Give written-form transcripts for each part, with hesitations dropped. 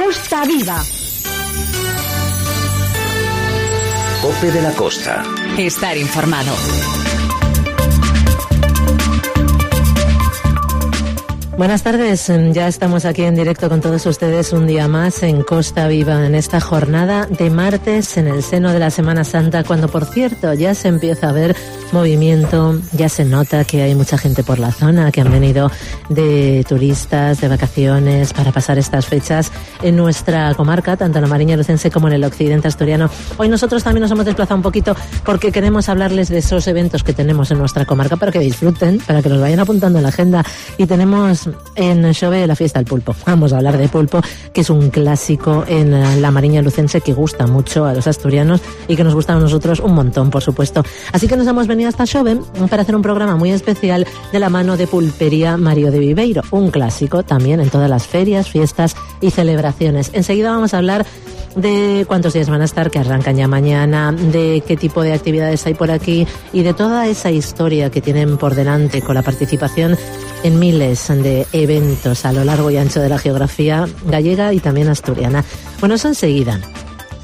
Costa Viva. COPE de la Costa. Estar informado. Buenas tardes, ya estamos aquí en directo con todos ustedes un día más en Costa Viva, en esta jornada de martes en el seno de la Semana Santa, cuando por cierto ya se empieza a ver movimiento, ya se nota que hay mucha gente por la zona, que han venido de turistas, de vacaciones, para pasar estas fechas en nuestra comarca, tanto en la Mariña Lucense como en el occidente asturiano. Hoy nosotros también nos hemos desplazado un poquito porque queremos hablarles de esos eventos que tenemos en nuestra comarca para que disfruten, para que los vayan apuntando en la agenda. Y tenemos en Xove la fiesta del pulpo. Vamos a hablar de pulpo, que es un clásico en la Mariña Lucense que gusta mucho a los asturianos y que nos gusta a nosotros un montón, por supuesto. Así que nos hemos venido hasta Xove para hacer un programa muy especial de la mano de Pulpería Mario de Viveiro, un clásico también en todas las ferias, fiestas y celebraciones. Enseguida vamos a hablar de cuántos días van a estar, que arrancan ya mañana, de qué tipo de actividades hay por aquí y de toda esa historia que tienen por delante con la participación en miles de eventos a lo largo y ancho de la geografía gallega y también asturiana. Bueno, eso enseguida.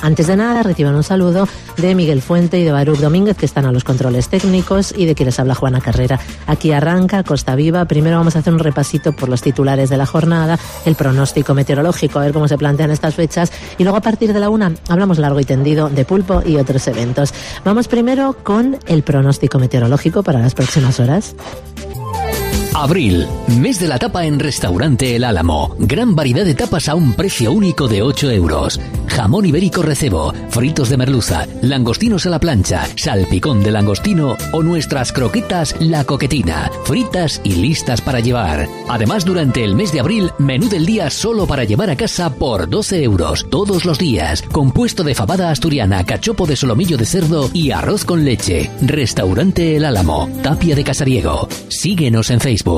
Antes de nada, reciban un saludo de Miguel Fuente y de Baruch Domínguez, que están a los controles técnicos, y de quien les habla Juana Carrera. Aquí arranca Costa Viva. Primero vamos a hacer un repasito por los titulares de la jornada, el pronóstico meteorológico, a ver cómo se plantean estas fechas, y luego a partir de la 1 hablamos largo y tendido de pulpo y otros eventos. Vamos primero con el pronóstico meteorológico para las próximas horas. Abril, mes de la tapa en Restaurante El Álamo. Gran variedad de tapas a un precio único de 8 euros. Jamón ibérico recebo, fritos de merluza, langostinos a la plancha, salpicón de langostino o nuestras croquetas La Coquetina, fritas y listas para llevar. Además, durante el mes de abril, menú del día solo para llevar a casa por 12 euros todos los días. Compuesto de fabada asturiana, cachopo de solomillo de cerdo y arroz con leche. Restaurante El Álamo, Tapia de Casariego. Síguenos en Facebook.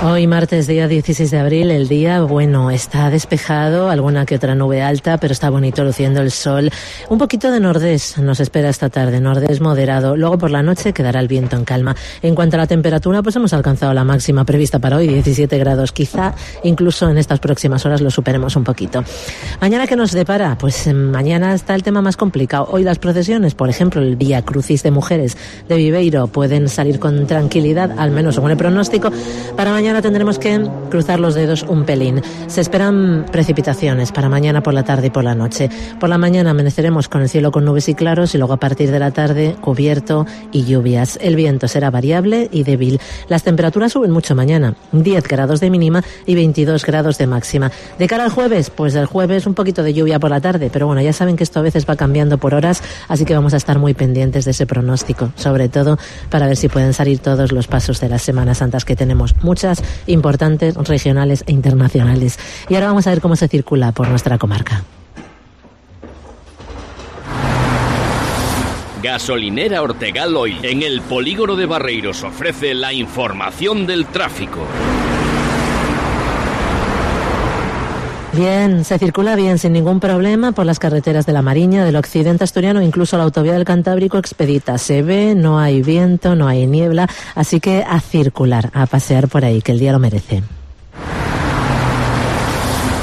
Hoy martes, día 16 de abril, el día, bueno, está despejado, alguna que otra nube alta, pero está bonito luciendo el sol. Un poquito de nordés nos espera esta tarde, nordés moderado. Luego por la noche quedará el viento en calma. En cuanto a la temperatura, pues hemos alcanzado la máxima prevista para hoy, 17 grados. Quizá incluso en estas próximas horas lo superemos un poquito. ¿Mañana qué nos depara? Pues mañana está el tema más complicado. Hoy las procesiones, por ejemplo, el Vía Crucis de Mujeres de Viveiro, pueden salir con tranquilidad, al menos según el pronóstico. Para mañana tendremos que cruzar los dedos un pelín. Se esperan precipitaciones para mañana por la tarde y por la noche. Por la mañana amaneceremos con el cielo con nubes y claros y luego a partir de la tarde cubierto y lluvias. El viento será variable y débil. Las temperaturas suben mucho mañana, 10 grados de mínima y 22 grados de máxima. De cara al jueves, pues el jueves un poquito de lluvia por la tarde, pero bueno, ya saben que esto a veces va cambiando por horas, así que vamos a estar muy pendientes de ese pronóstico, sobre todo para ver si pueden salir todos los pasos de las Semanas Santas, que tenemos muchas importantes, regionales e internacionales. Y ahora vamos a ver cómo se circula por nuestra comarca. Gasolinera Ortegal Oil, en el polígono de Barreiros, ofrece la información del tráfico. Bien, se circula bien, sin ningún problema, por las carreteras de la Mariña, del occidente asturiano, incluso la autovía del Cantábrico expedita. Se ve, no hay viento, no hay niebla, así que a circular, a pasear por ahí, que el día lo merece.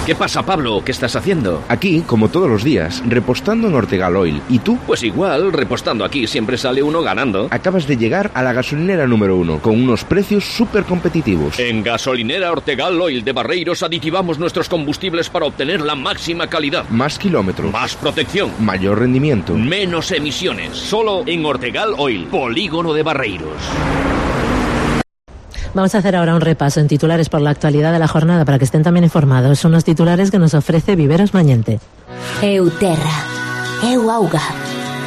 ¿Qué pasa, Pablo? ¿Qué estás haciendo? Aquí, como todos los días, repostando en Ortegal Oil. ¿Y tú? Pues igual, repostando aquí siempre sale uno ganando. Acabas de llegar a la gasolinera número 1, con unos precios súper competitivos. En Gasolinera Ortegal Oil de Barreiros aditivamos nuestros combustibles para obtener la máxima calidad. Más kilómetros. Más protección. Mayor rendimiento. Menos emisiones. Solo en Ortegal Oil, polígono de Barreiros. Vamos a hacer ahora un repaso en titulares por la actualidad de la jornada para que estén también informados. Son los titulares que nos ofrece Viveros Mañente. Eu terra, eu auga,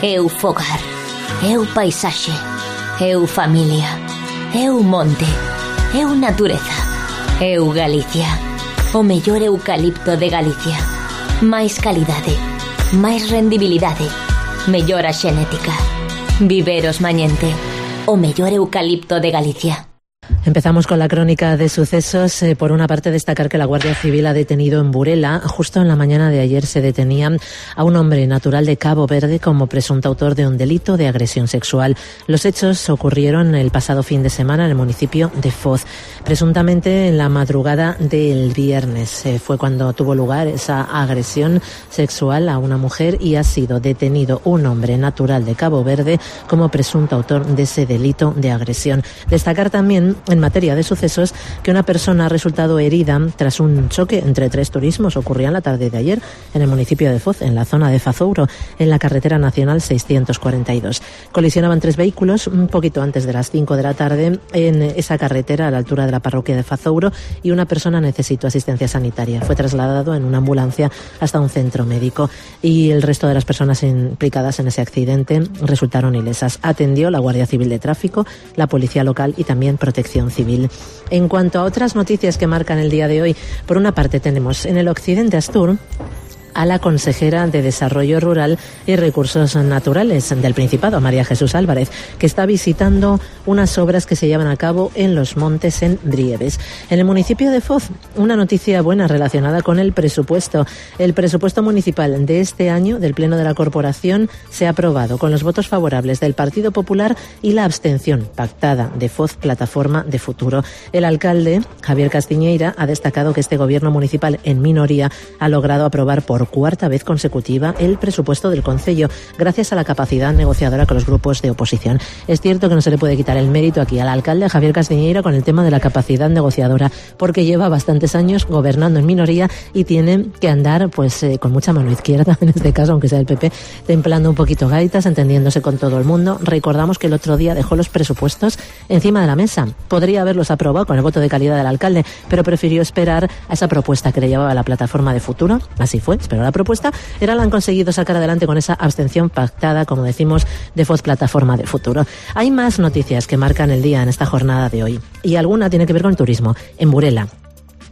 eu fogar, eu paisaxe, eu familia, eu monte, eu natureza, eu Galicia, o mellor eucalipto de Galicia. Máis calidade, máis rendibilidade, mellora xenética. Viveros Mañente, o mellor eucalipto de Galicia. Empezamos con la crónica de sucesos. Por una parte, destacar que la Guardia Civil ha detenido en Burela. Justo en la mañana de ayer se detenía a un hombre natural de Cabo Verde como presunto autor de un delito de agresión sexual. Los hechos ocurrieron el pasado fin de semana en el municipio de Foz. Presuntamente en la madrugada del viernes fue cuando tuvo lugar esa agresión sexual a una mujer y ha sido detenido un hombre natural de Cabo Verde como presunto autor de ese delito de agresión. Destacar también, en materia de sucesos, que una persona ha resultado herida tras un choque entre 3 turismos. Ocurría en la tarde de ayer en el municipio de Foz, en la zona de Fazouro, en la carretera nacional 642. Colisionaban 3 vehículos un poquito antes de las 5 de la tarde en esa carretera a la altura de la parroquia de Fazouro y una persona necesitó asistencia sanitaria. Fue trasladado en una ambulancia hasta un centro médico y el resto de las personas implicadas en ese accidente resultaron ilesas. Atendió la Guardia Civil de Tráfico, la Policía Local y también Protección Civil. En cuanto a otras noticias que marcan el día de hoy, por una parte tenemos en el occidente Astur a la consejera de Desarrollo Rural y Recursos Naturales del Principado, María Jesús Álvarez, que está visitando unas obras que se llevan a cabo en los montes en Brieves. En el municipio de Foz, una noticia buena relacionada con el presupuesto. El presupuesto municipal de este año del Pleno de la Corporación se ha aprobado con los votos favorables del Partido Popular y la abstención pactada de Foz Plataforma de Futuro. El alcalde, Javier Castiñeira, ha destacado que este gobierno municipal en minoría ha logrado aprobar por 4ª vez consecutiva el presupuesto del concello, gracias a la capacidad negociadora con los grupos de oposición. Es cierto que no se le puede quitar el mérito aquí al alcalde Javier Castiñeira con el tema de la capacidad negociadora, porque lleva bastantes años gobernando en minoría y tiene que andar con mucha mano izquierda, en este caso, aunque sea el PP, templando un poquito gaitas, entendiéndose con todo el mundo. Recordamos que el otro día dejó los presupuestos encima de la mesa. Podría haberlos aprobado con el voto de calidad del alcalde, pero prefirió esperar a esa propuesta que le llevaba la Plataforma de Futuro. Así fue, pero la propuesta la han conseguido sacar adelante con esa abstención pactada, como decimos, de Foz Plataforma de Futuro. Hay más noticias que marcan el día en esta jornada de hoy y alguna tiene que ver con el turismo. En Burela.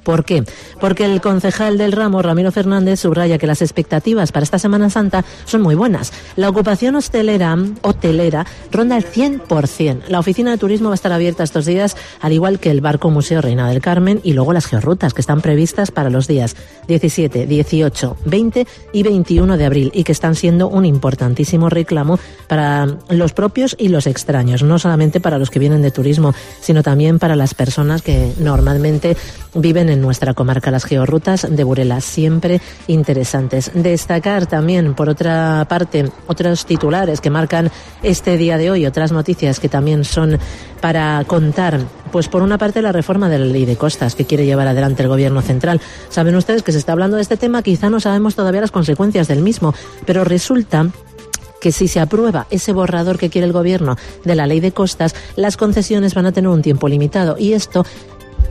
¿Por qué? Porque el concejal del ramo, Ramiro Fernández, subraya que las expectativas para esta Semana Santa son muy buenas. La ocupación hotelera ronda el 100%. La oficina de turismo va a estar abierta estos días, al igual que el Barco Museo Reina del Carmen y luego las georrutas, que están previstas para los días 17, 18, 20 y 21 de abril y que están siendo un importantísimo reclamo para los propios y los extraños, no solamente para los que vienen de turismo, sino también para las personas que normalmente viven en nuestra comarca. Las georrutas de Burela, siempre interesantes. Destacar también, por otra parte, otros titulares que marcan este día de hoy, otras noticias que también son para contar. Pues por una parte, la reforma de la ley de costas que quiere llevar adelante el gobierno central. Saben ustedes que se está hablando de este tema, quizá no sabemos todavía las consecuencias del mismo, pero resulta que si se aprueba ese borrador que quiere el gobierno de la ley de costas, las concesiones van a tener un tiempo limitado y esto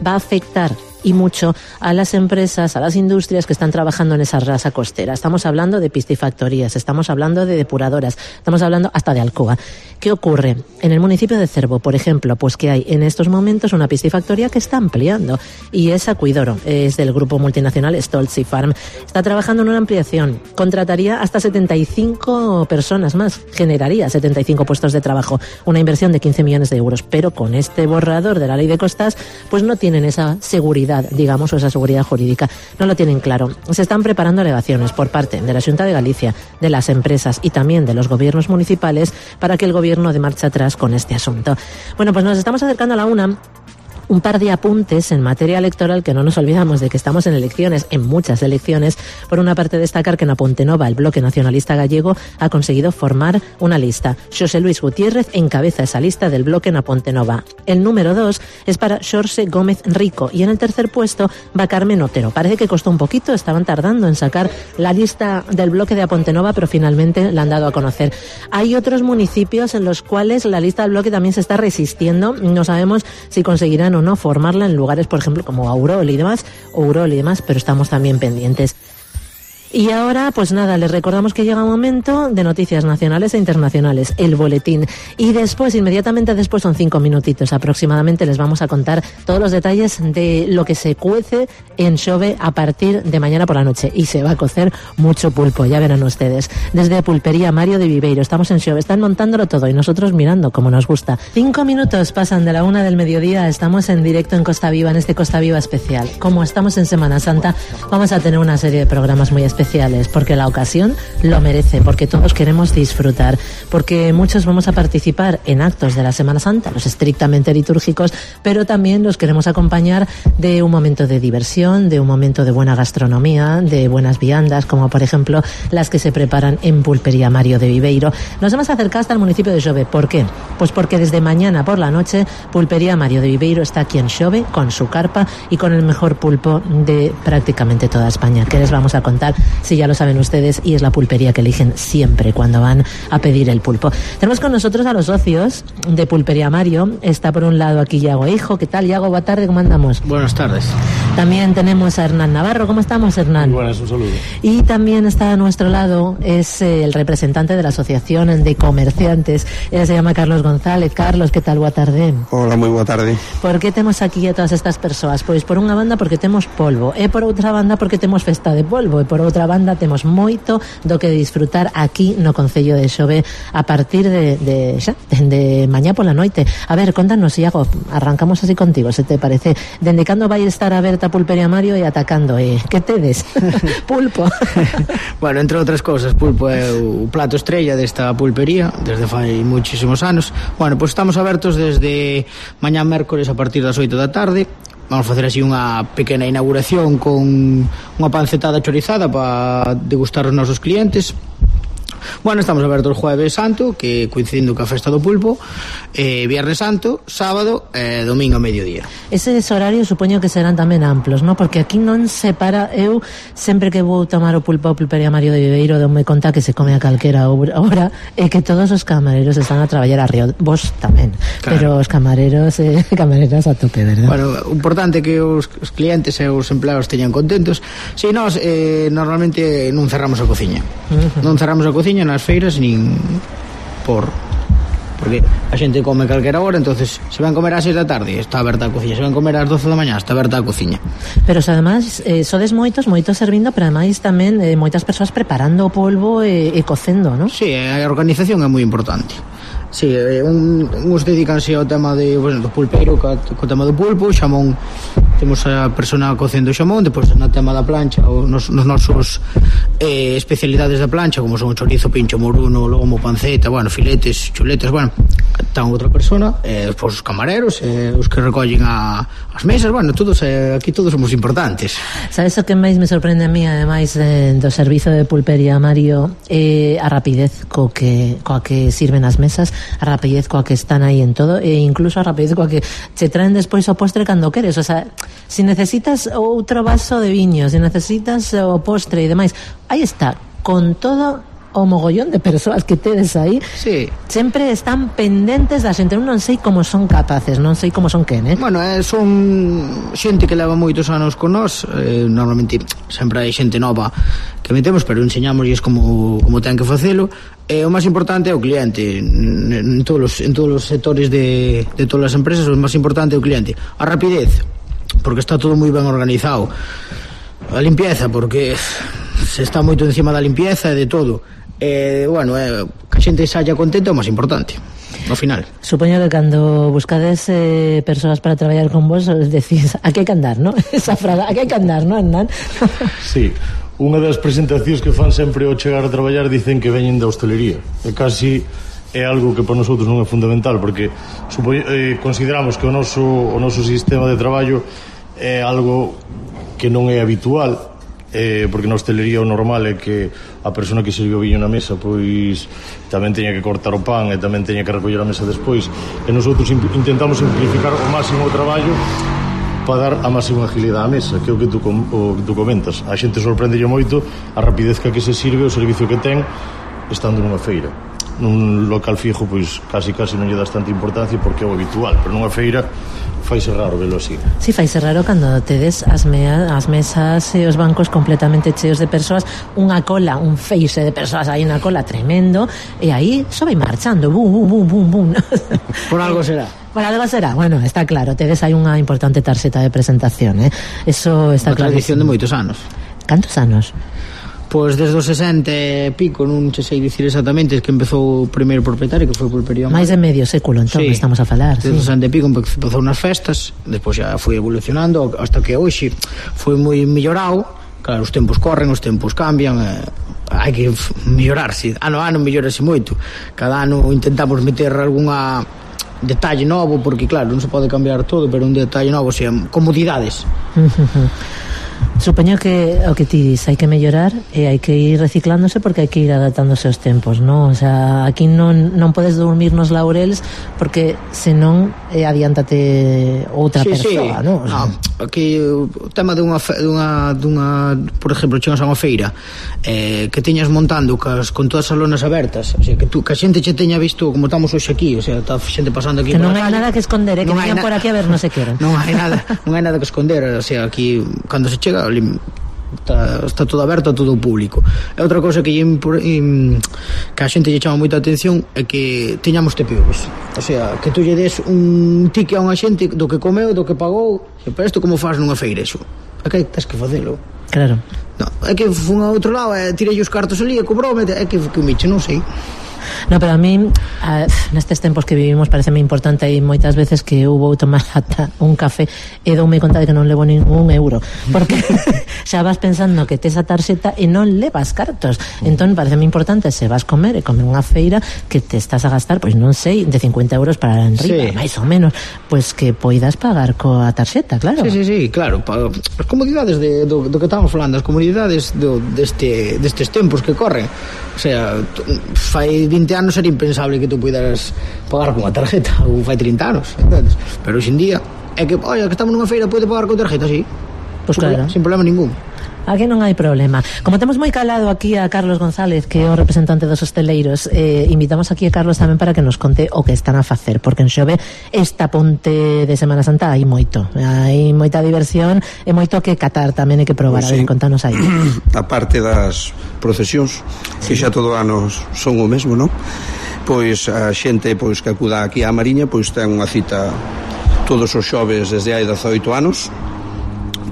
va a afectar y mucho a las empresas, a las industrias que están trabajando en esa rasa costera. Estamos hablando de piscifactorías, estamos hablando de depuradoras, estamos hablando hasta de Alcoa. ¿Qué ocurre? En el municipio de Cervo, por ejemplo, pues que hay en estos momentos una piscifactoría que está ampliando y es Acuidoro, es del grupo multinacional Stoltzy Farm. Está trabajando en una ampliación, contrataría hasta 75 personas más, generaría 75 puestos de trabajo, una inversión de 15 millones de euros, pero con este borrador de la ley de costas, pues no tienen esa seguridad, digamos, o esa seguridad jurídica. No lo tienen claro. Se están preparando alegaciones por parte de la Xunta de Galicia, de las empresas y también de los gobiernos municipales para que el gobierno dé marcha atrás con este asunto. Bueno, pues nos estamos acercando a la una. Un par de apuntes en materia electoral, que no nos olvidamos de que estamos en elecciones, en muchas elecciones. Por una parte, destacar que en Apontenova el Bloque Nacionalista Gallego ha conseguido formar una lista. Xosé Luis Gutiérrez encabeza esa lista del Bloque en Apontenova. El número 2 es para Xorxe Gómez Rico y en el tercer puesto va Carmen Otero. Parece que costó un poquito, estaban tardando en sacar la lista del Bloque de Apontenova, pero finalmente la han dado a conocer. Hay otros municipios en los cuales la lista del Bloque también se está resistiendo. No sabemos si conseguirán o no formarla en lugares, por ejemplo, como Aurol y demás, pero estamos también pendientes. Y ahora, pues nada, les recordamos que llega un momento de noticias nacionales e internacionales, el boletín. Y después, inmediatamente después, son 5 minutitos aproximadamente, les vamos a contar todos los detalles de lo que se cuece en Xove a partir de mañana por la noche. Y se va a cocer mucho pulpo, ya verán ustedes. Desde Pulpería Mario de Viveiro, estamos en Xove, están montándolo todo y nosotros mirando como nos gusta. 5 minutos pasan de la 1 del mediodía, estamos en directo en Costa Viva, en este Costa Viva especial. Como estamos en Semana Santa, vamos a tener una serie de programas muy especiales, porque la ocasión lo merece, porque todos queremos disfrutar, porque muchos vamos a participar en actos de la Semana Santa, los estrictamente litúrgicos, pero también los queremos acompañar de un momento de diversión, de un momento de buena gastronomía, de buenas viandas, como por ejemplo las que se preparan en Pulpería Mario de Viveiro. Nos hemos acercado hasta el municipio de Xove. ¿Por qué? Pues porque desde mañana por la noche Pulpería Mario de Viveiro está aquí en Xove con su carpa y con el mejor pulpo de prácticamente toda España. ¿Qué les vamos a contar? Si ya lo saben ustedes, y es la pulpería que eligen siempre cuando van a pedir el pulpo. Tenemos con nosotros a los socios de Pulpería Mario. Está por un lado aquí Iago Hijo. ¿Qué tal, Iago? Buenas tardes, ¿cómo andamos? Buenas tardes. También tenemos a Hernán Navarro. ¿Cómo estamos, Hernán? Muy buenas, un saludo. Y también está a nuestro lado, es el representante de la Asociación de Comerciantes. Él se llama Carlos González. Carlos, ¿qué tal? Boa tarde. Hola, moi boa tarde. Por que temos aquí a todas estas persoas? Pois por unha banda porque temos polvo, e por outra banda porque temos festa de polvo, e por outra banda temos moito do que disfrutar aquí no Concello de Xove a partir de mañá pola noite. A ver, contanos, Iago, arrancamos así contigo, se te parece. Dende cando vai estar aberta Pulpería Mario e atacando, que tedes? Pulpo. Bueno, entre outras cousas, pulpo é o plato estrella desta pulpería desde fai muchísimos anos. Bueno, pois estamos abertos desde mañá mércores a partir das 8 da tarde. Vamos facer así unha pequena inauguración con unha pancetada chorizada para degustar os nosos clientes. Bueno, estamos abertos Jueves Santo, que coincidindo ca festa do pulpo, Viernes Santo, sábado e domingo a mediodía. Eses horarios supoño que serán tamén amplos, ¿no? Porque aquí non se para. Eu sempre que vou tomar o pulpo a Pulpería Mario de Viveiro dou-me conta que se come a calquera hora e que todos os camareros están a traballar arriba. Vos tamén, claro. Pero os camareros camareras a tope, verdad? Bueno, o importante é que os clientes e os empleados teñan contentos. Si nós normalmente non cerramos a cociña. Non cerramos a cociña nas feiras nin porque a xente come a calquera hora, entonces se van comer ás 6 da tarde está aberta a cociña, se van comer ás 12 da mañá está aberta a cociña. Pero además sodes moitos servindo, pero ademais tamén moitas persoas preparando o polvo e cocendo, non? Sí, a organización é moi importante. Sí, uns dedicanse ao tema do pulpeiro, co tema do pulpo, xamón, temos a persona cocendo o xamón, depois no tema da plancha, nos nosos especialidades da plancha, como son o chorizo, pincho, moruno, lomo, panceta, bueno, filetes, chuletas, bueno, tan outra persona, depois os camareros, os que recollen as mesas, bueno, todos aquí todos somos importantes. Sabes o que máis me sorprende a mí, ademais do servizo de Pulpería Mario, a rapidez coa que sirven as mesas, a rapidez coa que están aí en todo, e incluso a rapidez coa que che traen despois o postre cando queres. O sea, se necesitas outro vaso de viño, se necesitas o postre e demais, aí está, con todo o mogollón de persoas que tedes aí, sí. Sempre están pendentes da xente. Non sei como son capaces, non sei como son quen, Bueno, son xente que leva moitos anos con nós, normalmente sempre hai xente nova que metemos, pero enseñámosles como ten que facelo. O máis importante é o cliente en todos os sectores de todas as empresas. O máis importante é o cliente, a rapidez, porque está todo moi ben organizado, a limpieza, porque se está moito encima da limpieza e de todo. Bueno, que a xente saia contenta é o máis importante no final. Supoño que cando buscades persoas para traballar con vos decís, aquí hai que andar, ¿no? Esa frase, aquí hai que andar, ¿no, Hernán? Sí, unha das presentacións que fan sempre ao chegar a traballar dicen que veñen da hostelería, e casi é algo que para nosotros non é fundamental, porque consideramos que o noso sistema de traballo é algo que non é habitual, porque na hostelería o normal é que a persona que sirve o viño na mesa pois tamén teña que cortar o pan e tamén teña que recoller a mesa despois, e nosotros intentamos simplificar o máximo o traballo para dar a máxima agilidade á mesa, que é o que tú comentas. A xente sorprendelle moito a rapidez que se sirve, o servicio que ten estando nunha feira. nun local fijo pois casi non lle das tanta importancia porque é o habitual, pero nunha feira faise raro velo así. Si, faise raro cando tedes as mesas e os bancos completamente cheos de persoas, unha cola, un feixe de persoas aí na cola tremendo, e aí só vai marchando, bum, bum, bum, bum. Por algo será. Por algo será, bueno, está claro, tedes aí unha importante tarxeta de presentación, eso está claro. Unha tradición de moitos anos. Cantos anos? Pois desde os 60 e pico, non sei dicir exactamente, que empezou o primeiro propietario, que foi Pulpería Mario. Mais de medio século, entón, sí, estamos a falar. Desde os 60 e pico empezou nas festas, despois xa foi evolucionando hasta que hoxe foi moi mellorado. Claro, os tempos corren, os tempos cambian, hai que mellorarse, ano a ano mellorase moito. Cada ano intentamos meter algunha detalle novo, porque claro, non se pode cambiar todo, pero un detalle novo, o sea, comodidades. Supoño que o que ti dis hai que mellorar e hai que ir reciclándose porque hai que ir adaptándose aos tempos, non? O sea, aquí non podes dormir nos laureles porque senón adiántate outra persoa, non? O sea, aquí o tema dunha por exemplo, chegas a unha feira que teñas montando con todas as lonas abertas, o sea, que a xente che teña visto como estamos hoxe aquí, o sea, está xente pasando aquí que non hai nada que esconder, que vengan por aquí a ver, non se queren. Non hai nada que esconder, o sea, aquí cando se chega está todo aberto a todo o público. E outra cosa que a xente lle chama moita atención é que teñamos TPVs, o sea, que tú lle des un ticket a unha xente do que comeu, do que pagou, pero isto como faz nunha feira, iso é que tens que facelo. Claro. No, é que fun a outro lado e tirei os cartos ali e cobrome, é que miche, non sei. No, pero a mí nestes tempos que vivimos pareceme importante, e moitas veces que eu vou tomar ata un café e doume conta de que non levo ningún euro porque xa vas pensando que tes a tarxeta e non levas cartos, entón pareceme importante se vas comer e comer unha feira que te estás a gastar, pois non sei, de 50 euros para enriba, máis ou menos, pois que poidas pagar coa tarxeta, claro. Sí, claro, as comodidades do que estamos falando, as comodidades destes tempos que corren, o sea, fai 20 anos era impensable que tú puidaras pagar con a tarjeta, ou fai 30 anos, entendes? Pero hoxe en día é que, que estamos nunha feira, pode pagar con tarjeta, sí, pues claro, sin problema ningún. Aquí non hai problema. Como temos moi calado aquí a Carlos González, que é o representante dos hosteleiros, invitamos aquí a Carlos tamén para que nos conte o que están a facer, porque en Xove esta ponte de Semana Santa hai moita diversión e moito que catar tamén e que probar, pues, a ver, contanos aí. A parte das procesións, que xa todo anos son o mesmo, non? Pois a xente pois que acuda aquí á Mariña pois ten unha cita todos os xoves desde hai 18 anos,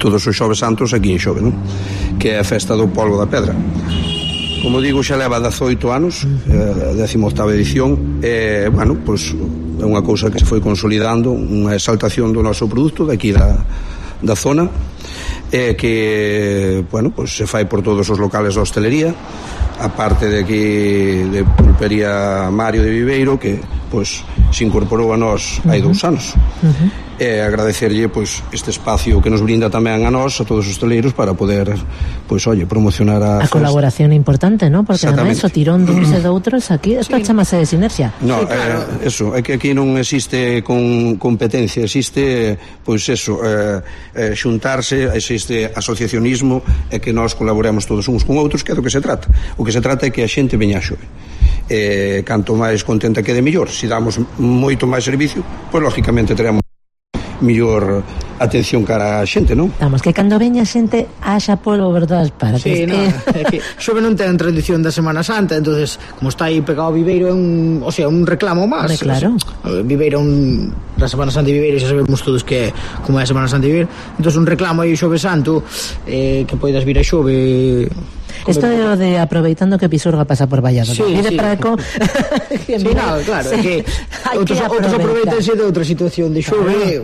todos os xoves santos aquí en Xove, non? Que é a festa do polvo da pedra. Como digo, xa leva 18 anos, 18ª edición, e, bueno, pois é unha cousa que se foi consolidando, unha exaltación do noso produto daqui da zona, e que, bueno, pois se fai por todos os locales da hostelería, a parte de aquí de Pulpería Mario de Viveiro, que pois se incorporou a nós hai 2 anos. E agradecerlle pois este espacio que nos brinda tamén a nós, a todos os hosteleiros, para poder pois promocionar a festa. Colaboración importante, ¿no? Porque ademais o tirón duns e doutros aquí, isto chamase de sinerxia. No, sí, claro. Eso, é que aquí non existe con competencia, existe pois eso, xuntarse, existe asociacionismo, e que nós colaboremos todos uns con outros, que é do que se trata. O que se trata é que a xente veña a Xove. Canto máis contenta quede mellor. Se damos moito máis servicio, pois lógicamente teremos mellor atención cara a xente, non? Vamos, que cando veña xente haxa polvo por todas partes. Sí, no, é que Xove non ten tradición da Semana Santa, entonces como está aí pegado Viveiro é un reclamo máis. Claro. Viveiro da Semana Santa de Viveiro xa sabemos todos que como é a Semana Santa de Viveiro, entonces un reclamo aí Xove Santo, que poidas vir a Xove. Isto é o de aproveitando que Pisurga pasa por Valladolid. Sí. Praco. Sí, no, claro, sí. Que outros aproveitanse de outra situación de Xove,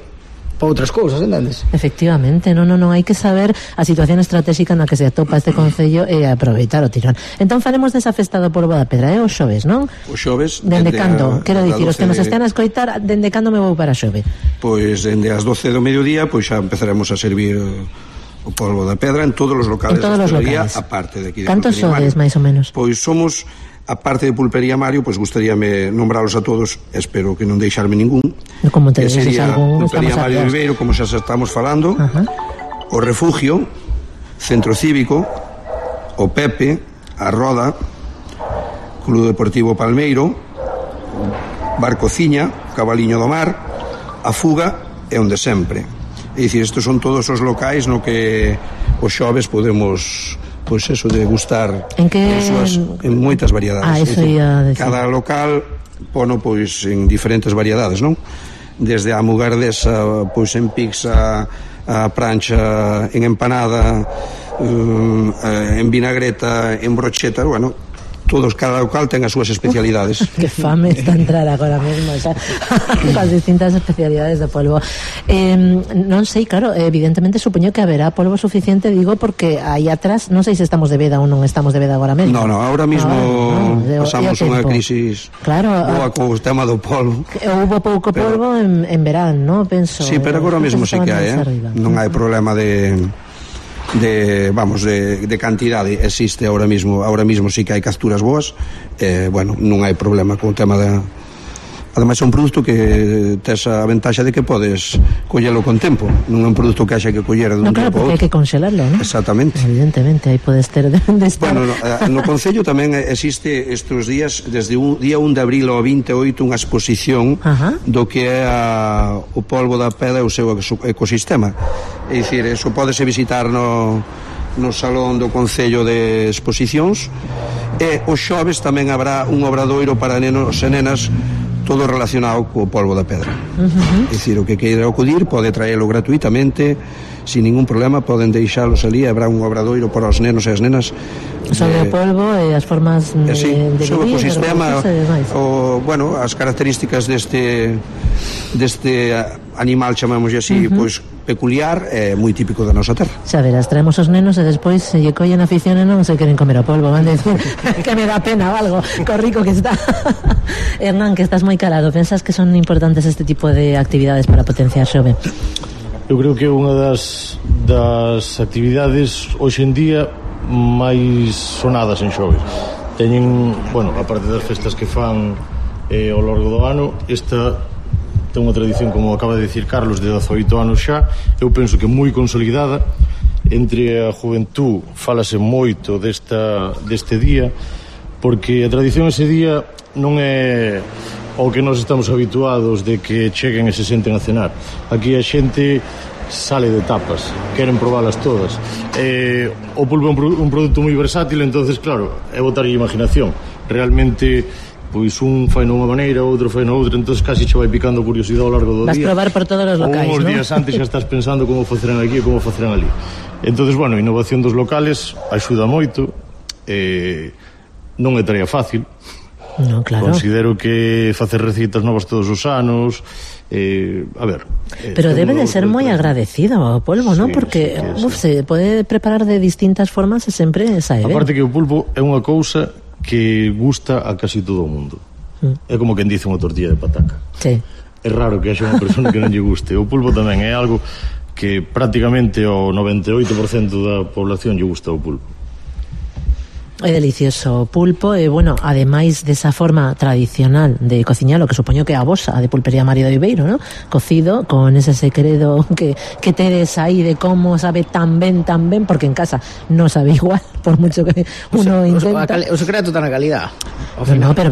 para outras cousas, entendes? Efectivamente, non hai que saber a situación estratégica na que se atopa este concello e aproveitar o tirón. Entón faremos desa festa do polvo da pedra, os xoves, non? Os xoves. Dende cando? Quero dicir, os que nos estén a escoitar, dende cando me vou para Xove? Pois dende as 12 do mediodía, pois xa empezaremos a servir o polvo da pedra en todos os locales da hostelería, aparte de aquí de Cantos sodes, máis ou menos? Pois somos, aparte de Pulpería Mario, pois gustaríame nombralos a todos, espero que non deixarme ningún. Como te dices algún, Pulpería Mario de Viveiro, como xa estamos falando, o Refugio, Centro Cívico, o Pepe, a Roda, Club Deportivo Palmeiro, Bar Cociña, Cabaliño do Mar, A Fuga e Onde Sempre. É dicir, estes son todos os locais no que os xoves podemos, pois eso, degustar en moitas variedades. Eso ia decir. Cada local pono pois en diferentes variedades, non? Desde a mugardesa, pois en pizza, a prancha, en empanada, en vinagreta, en brocheta, bueno, todos, cada local ten as súas especialidades. Que fame está entrar agora mesmo, xa, as distintas especialidades de polvo. Non sei, claro, evidentemente supoño que haberá polvo suficiente, digo, porque aí atrás, non sei se estamos de veda ou non estamos de veda agora mesmo. No, ahora mismo pasamos unha crisis boa co tema do polvo. Houve pouco polvo en verán, non? Penso. Sí, pero agora mesmo sí que hai, non hai problema de cantidade, existe ahora mismo sí que hai capturas boas, bueno, non hai problema con o tema da... Ademais é un produto que tes a ventaxa de que podes collelo con tempo, non é un produto que haxa que coller dun tempo. Claro, porque hai que conxelarlo, non? Exactamente. Evidentemente, aí podes ter de estar. Bueno, no Concello tamén existe estes días, desde o día 1 de abril ao 28, unha exposición do que é o polvo da pedra e o seu ecosistema. É dicir, eso pódese visitar no Salón do Concello de Exposicións, e os xoves tamén habrá un obradoiro para nenos e nenas, todo relacionado co polvo da pedra. É dicir, o que queira acudir pode traelo gratuitamente, sin ningún problema, poden deixalos ali, habrá un obradoiro para os nenos e as nenas sobre o polvo e as formas de vivir, o ecosistema, bueno, as características deste animal, chamamos así, pois peculiar, é moi típico da nosa terra. Xa verás, traemos os nenos e despois se lle collen afición e non se queren comer o polvo, van decir que me dá pena ou algo, co rico que está. Hernán, que estás moi calado, pensas que son importantes este tipo de actividades para potenciar xove? Eu creo que é unha das actividades hoxe en día máis sonadas en xoves. Teñen, bueno, a parte das festas que fan ao longo do ano, esta ten unha tradición, como acaba de dicir Carlos, de 18 anos xa, eu penso que moi consolidada. Entre a juventud fálase moito deste día, porque a tradición ese día non é o que nós estamos habituados de que cheguen e se senten a cenar. Aquí a xente sale de tapas, queren probalas todas. O pulpo é un produto moi versátil, entonces claro, é botar a imaginación. Realmente, pois un fai nunha maneira, outro fai na outra, entonces casi che vai picando curiosidade ao largo do día. Vas probar por todos os locais, non? Uns días antes xa estás pensando como facerán aquí e como facerán ali. Entonces, bueno, a innovación dos locales axuda moito, non é tarea fácil. No, claro. Considero que facer recitas novas todos os anos, a ver, pero debe de ser moi agradecido o polvo, sí, non? Porque se pode preparar de distintas formas e sempre sae ben. Aparte que o pulpo é unha cousa que gusta a casi todo o mundo. É como quen dice unha tortilla de pataca. Sí. É raro que haxa unha persona que non lle guste. O pulpo tamén é algo que prácticamente o 98% da población lle gusta o pulpo. É delicioso o pulpo e, bueno, ademais desa forma tradicional de cociñalo, que supoño que a vosa, a de Pulpería Mario de Viveiro, ¿no? Cocido, con ese secreto que tedes aí de como sabe tan ben, porque en casa non sabe igual, por mucho que uno intenta. O secreto está na calidad. No, pero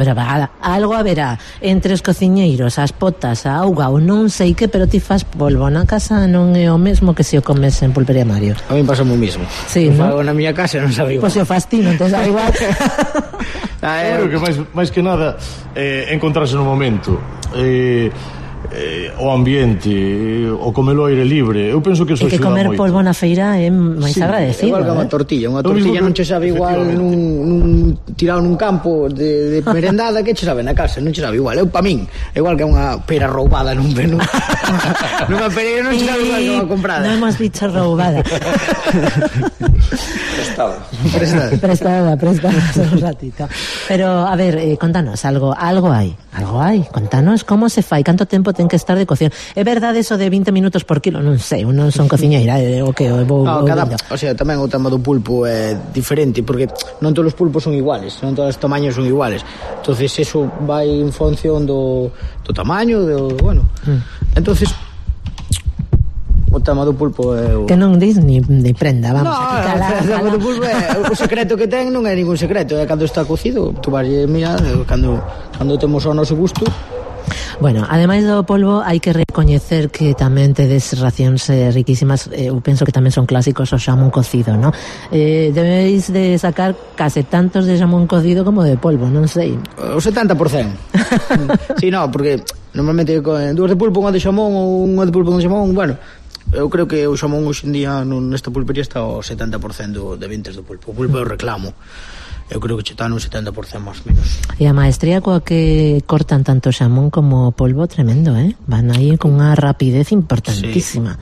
algo haberá entre os cociñeiros, as potas, a auga ou non sei que, pero ti fas polvo na casa non é o mesmo que se o comes en Pulpería Mario. A mí pasa o mismo. Sí, ¿no? Fago na miña casa non sabe igual. Pois se o fas ti, non te sabe igual. Eu creo que máis que nada encontrarse no momento, o ambiente, o comelo ao aire libre. Eu penso que eso axuda moito. E que comer polvo na feira é máis agradecido. Igual que unha tortilla non che sabe igual nun tirado nun campo de merendada que che sabe na casa, non che sabe igual. Eu, pa min, igual que unha pera roubada nunha pereira non che sabe igual que unha comprada. Non hemos dicho roubada. Prestada un ratito. Pero, a ver, contanos, algo hai, contanos como se fai, canto tempo ten que estar de cocción. É verdade eso de 20 minutos por kilo? Non sei, non son cociñeira, o que o sea, tamén o tema do pulpo é diferente, porque non todos os pulpos son iguales, non todos os tamaños son iguales. Entonces eso vai en función do tamaño, bueno. Entonces o O tema do pulpo é o... Que non dis ni prenda, vamos. No, o pulpo é, o secreto que ten non é ningún secreto, é cando está cocido, tu vas mirar, cando temos o noso gusto. Bueno, ademais do polvo, hai que recoñecer que tamén tedes racións riquísimas. Eu penso que tamén son clásicos o xamón cocido, ¿no? Debéis de sacar case tantos de xamón cocido como de polvo, non sei. O 70%. Sí, no, porque normalmente dúas de pulpo, unha de xamón ou unha de pulpo con xamón, bueno, eu creo que o xamón hoxe en día nesta pulpería está ao 70% de ventas do pulpo. O pulpo é o reclamo. Eu creo que está no 70% máis ou menos. E a maestría coa que cortan tanto xamón como polvo, tremendo, Van aí con unha rapidez importantísima.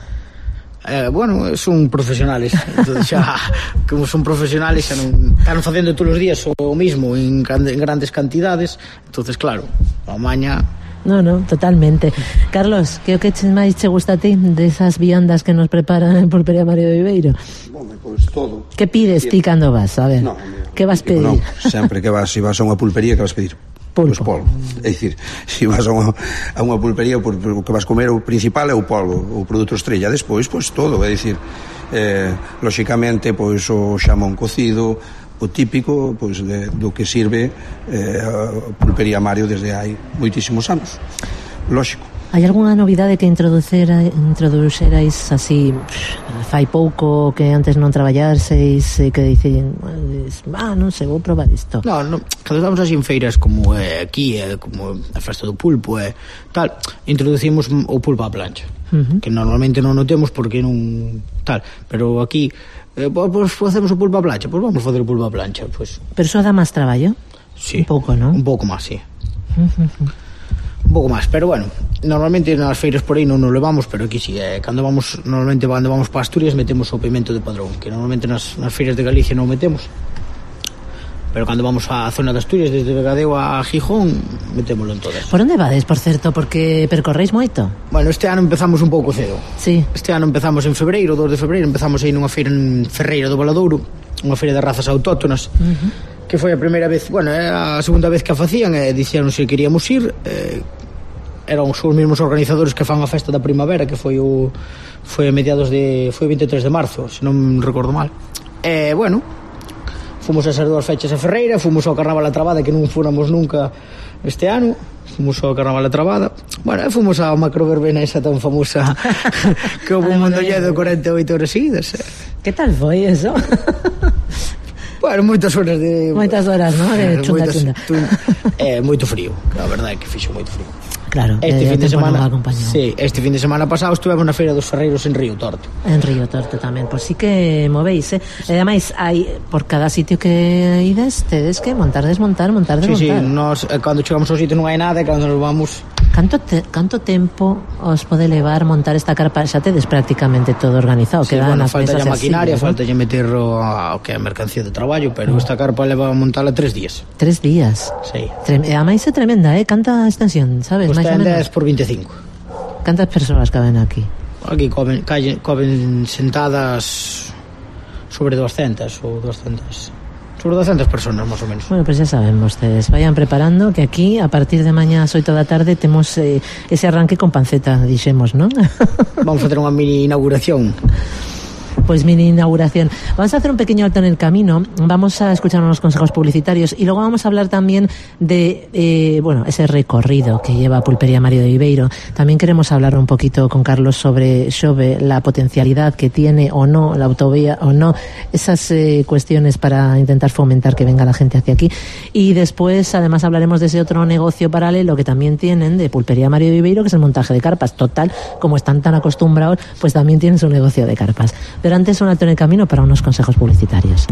Sí. Bueno, son profesionales. Entonces xa, como son profesionales, xa non están facendo todos os días o mismo en grandes cantidades. Entonces, claro, a maña... No, totalmente. Carlos, que o que máis che gusta a ti desas viandas que nos preparan en Pulpería Mario de Viveiro? Bueno, pois todo. Que pides ti cando vas? A ver, que vas pedir? Non, sempre que vas, se vas a unha pulpería, que vas pedir? Pulpo. Pois polvo. É dicir, se vas a unha pulpería, o que vas comer o principal é o polvo, o produto estrella. Despois, pois todo, é dicir, lóxicamente, pois o xamón cocido, o típico, pois, do que sirve a Pulpería Mario desde hai moitísimos anos. Lóxico. Hai algunha novidade que introduxerais así fai pouco, que antes non traballarseis, que dicen, non sei, vou probar isto? No, cando estamos así en feiras como aquí, como a festa do pulpo tal, introducimos o pulpo á plancha, que normalmente non o temos porque non tal, pero aquí pois facemos o pulpo á plancha, pois vamos facer o pulpo á plancha, pois. Pero iso dá máis traballo? Sí. Un pouco, non? Un pouco máis, sí. Un pouco máis, pero bueno, normalmente nas feiras por aí non nos levamos, pero aquí sí, normalmente cando vamos para Asturias metemos o pimento de Padrón, que normalmente nas feiras de Galicia non metemos, pero cando vamos á zona de Asturias, desde Vegadeo a Gijón, metémoslo en todas. Por onde vades, por certo, porque percorréis moito? Bueno, este ano empezamos un pouco cedo. Sí. Este ano empezamos en febreiro, 2 de febreiro, empezamos aí nunha feira en Ferreira do Valadouro, unha feira de razas autóctonas, que foi a primeira vez, bueno, é a segunda vez que a facían, e dixeron se queríamos ir, eran os mesmos organizadores que fan a festa da primavera, que foi a mediados foi o 23 de marzo, se non recordo mal. Bueno, fomos a esas 2 fechas a Ferreira, fomos ao Carnaval a Trabada, que non fóramos nunca este ano, fomos ao Carnaval a Trabada, bueno, e fomos á macroverbena esa tan famosa que houve un mondolledo de 48 horas seguidas. Que tal foi eso? Bueno, moitas horas, ¿no? De chunda. Moito frío, a verdade é que fixo moito frío. Claro, este fin de semana, sí, este fin de semana pasado estivemos na Feira dos Ferreiros en Río Torto. En Río Torto tamén, pois sí que movéis, E ademais, hai por cada sitio que ides, tedes que montar, desmontar. Sí, nos, cando chegamos ao sitio non hai nada, e cando nos vamos... Canto tempo os pode levar montar esta carpa? Xa tedes prácticamente todo organizado, sí, bueno, falta a maquinaria, falta lle meter o que é a mercancía de traballo, pero esta carpa leva a montarla 3 días. 3 días? Sí. Ademais é tremenda, Canta extensión, sabes? Pues ten 10 por 25. Cantas persoas caben aquí? Aquí coben sentadas sobre 200 ou 200... sobre 200 personas, máis ou menos. Bueno, pues ya saben vostedes, vayan preparando que aquí, a partir de mañá ás 8 da tarde, temos ese arranque con panceta, dixemos, non? Vamos a facer unha mini inauguración. Pues mini inauguración. Vamos a hacer un pequeño alto en el camino, vamos a escuchar unos consejos publicitarios y luego vamos a hablar también de ese recorrido que lleva Pulpería Mario de Viveiro. También queremos hablar un poquito con Carlos sobre Xove, la potencialidad que tiene o no la autovía o no, esas cuestiones para intentar fomentar que venga la gente hacia aquí. Y después además hablaremos de ese otro negocio paralelo que también tienen de Pulpería Mario de Viveiro, que es el montaje de carpas. Total, como están tan acostumbrados, pues también tienen su negocio de carpas. Pero antes un alto en el camino para unos consejos publicitarios.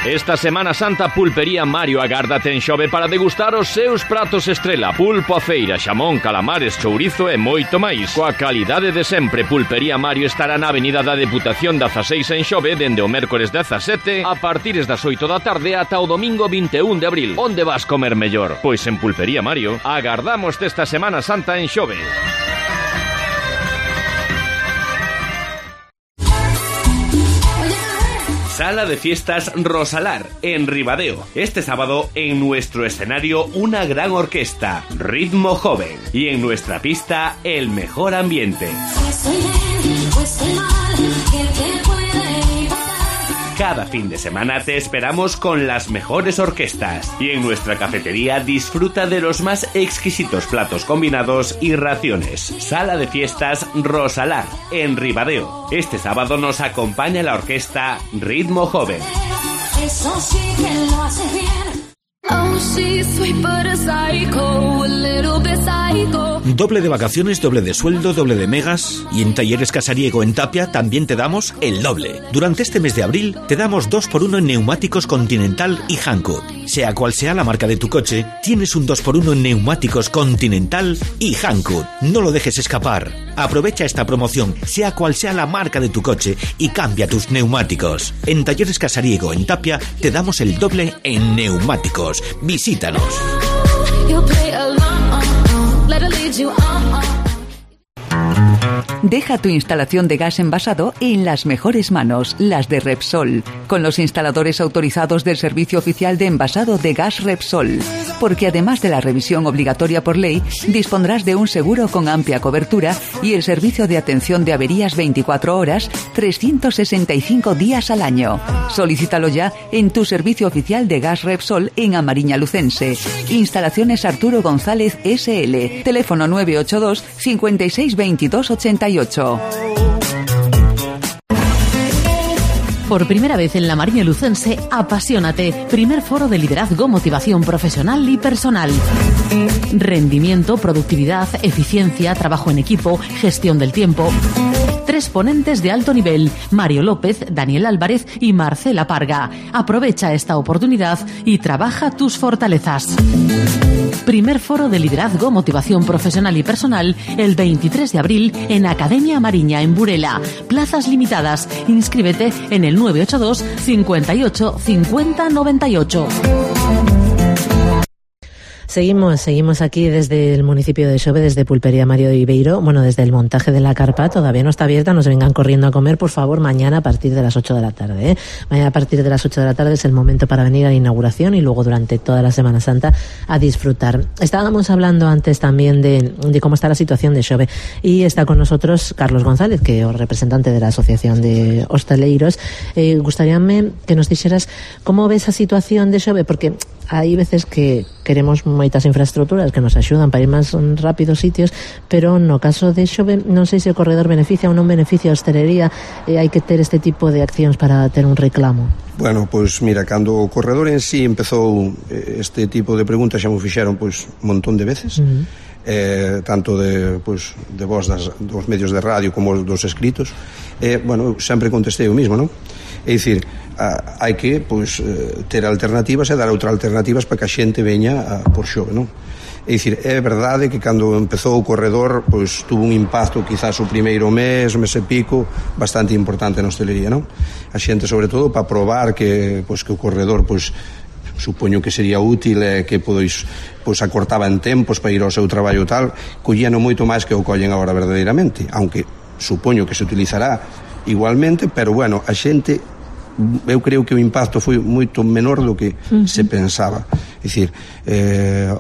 Esta Semana Santa Pulpería Mario agárdate en Xove para degustar os seus pratos estrela, pulpo a feira, xamón, calamares, chourizo e moito máis. Coa calidade de sempre, Pulpería Mario estará na Avenida da Deputación 16 en Xove dende o mércores 17 a partires das 8 da tarde ata o domingo 21 de abril. Onde vas comer mellor? Pois en Pulpería Mario. Agardamos esta Semana Santa en Xove. Sala de Fiestas Rosalar, en Ribadeo. Este sábado, en nuestro escenario, una gran orquesta, Ritmo Joven. Y en nuestra pista, el mejor ambiente. Cada fin de semana te esperamos con las mejores orquestas. Y en nuestra cafetería disfruta de los más exquisitos platos combinados y raciones. Sala de Fiestas Rosalar, en Ribadeo. Este sábado nos acompaña la orquesta Ritmo Joven. Eso sí que lo hace bien. Oh, she's sweet but a psycho, a little bit psycho. Doble de vacaciones, doble de sueldo, doble de megas. Y en Talleres Casariego en Tapia también te damos el doble. Durante este mes de abril te damos 2x1 en neumáticos Continental y Hankook. Sea cual sea la marca de tu coche, tienes un 2x1 en neumáticos Continental y Hankook. No lo dejes escapar. Aprovecha esta promoción, sea cual sea la marca de tu coche, y cambia tus neumáticos. En Talleres Casariego en Tapia te damos el doble en neumáticos. Visítanos. Deja tu instalación de gas envasado en las mejores manos, las de Repsol, con los instaladores autorizados del Servicio Oficial de Envasado de Gas Repsol. Porque además de la revisión obligatoria por ley, dispondrás de un seguro con amplia cobertura y el servicio de atención de averías 24 horas, 365 días al año. Solicítalo ya en tu servicio oficial de Gas Repsol en Amariña Lucense. Instalaciones Arturo González SL. Teléfono 982 56 22 88. Por primera vez en la Mariña Lucense, Apasionate, primer foro de liderazgo, motivación profesional y personal. Rendimiento, productividad, eficiencia, trabajo en equipo, gestión del tiempo. 3 ponentes de alto nivel, Mario López, Daniel Álvarez y Marcela Parga. Aprovecha esta oportunidad y trabaja tus fortalezas. Primer foro de liderazgo, motivación profesional y personal, el 23 de abril en Academia Mariña, en Burela. Plazas limitadas. Inscríbete en el 982 58 50 98. Seguimos aquí desde el municipio de Xove, desde Pulpería Mario Ibeiro. Bueno, desde el montaje de la carpa, todavía no está abierta, no se vengan corriendo a comer, por favor, mañana a partir de las 8 de la tarde. Mañana a partir de las 8 de la tarde es el momento para venir a la inauguración y luego durante toda la Semana Santa a disfrutar. Estábamos hablando antes también de cómo está la situación de Xove, y está con nosotros Carlos González, que es representante de la Asociación de Hostaleiros. Gustaríame que nos dijeras cómo ves a situación de Xove, porque hai veces que queremos moitas infraestructuras que nos axudan para ir máis rápido sitios, pero no caso de Xove non sei se o corredor beneficia ou non beneficia a hostelería, e hai que ter este tipo de accións para ter un reclamo. Bueno, pois mira, cando o corredor en sí empezou este tipo de preguntas xa mo fixeron pois un montón de veces, tanto de voz dos medios de radio como dos escritos, bueno, sempre contestei o mismo, non? É dicir, hai que ter alternativas e dar outras alternativas para que a xente veña por Xove, non? É dicir, é verdade que cando empezou o corredor tuvo un impacto quizás o primeiro mes e pico bastante importante na hostelería, non? A xente sobre todo para probar que o corredor supoño que sería útil e que acortaba en tempos para ir ao seu traballo tal, collíano moito máis que o collen agora verdadeiramente, aunque supoño que se utilizará igualmente, pero bueno, a xente, eu creo que o impacto foi moito menor do que se pensaba. É dicir,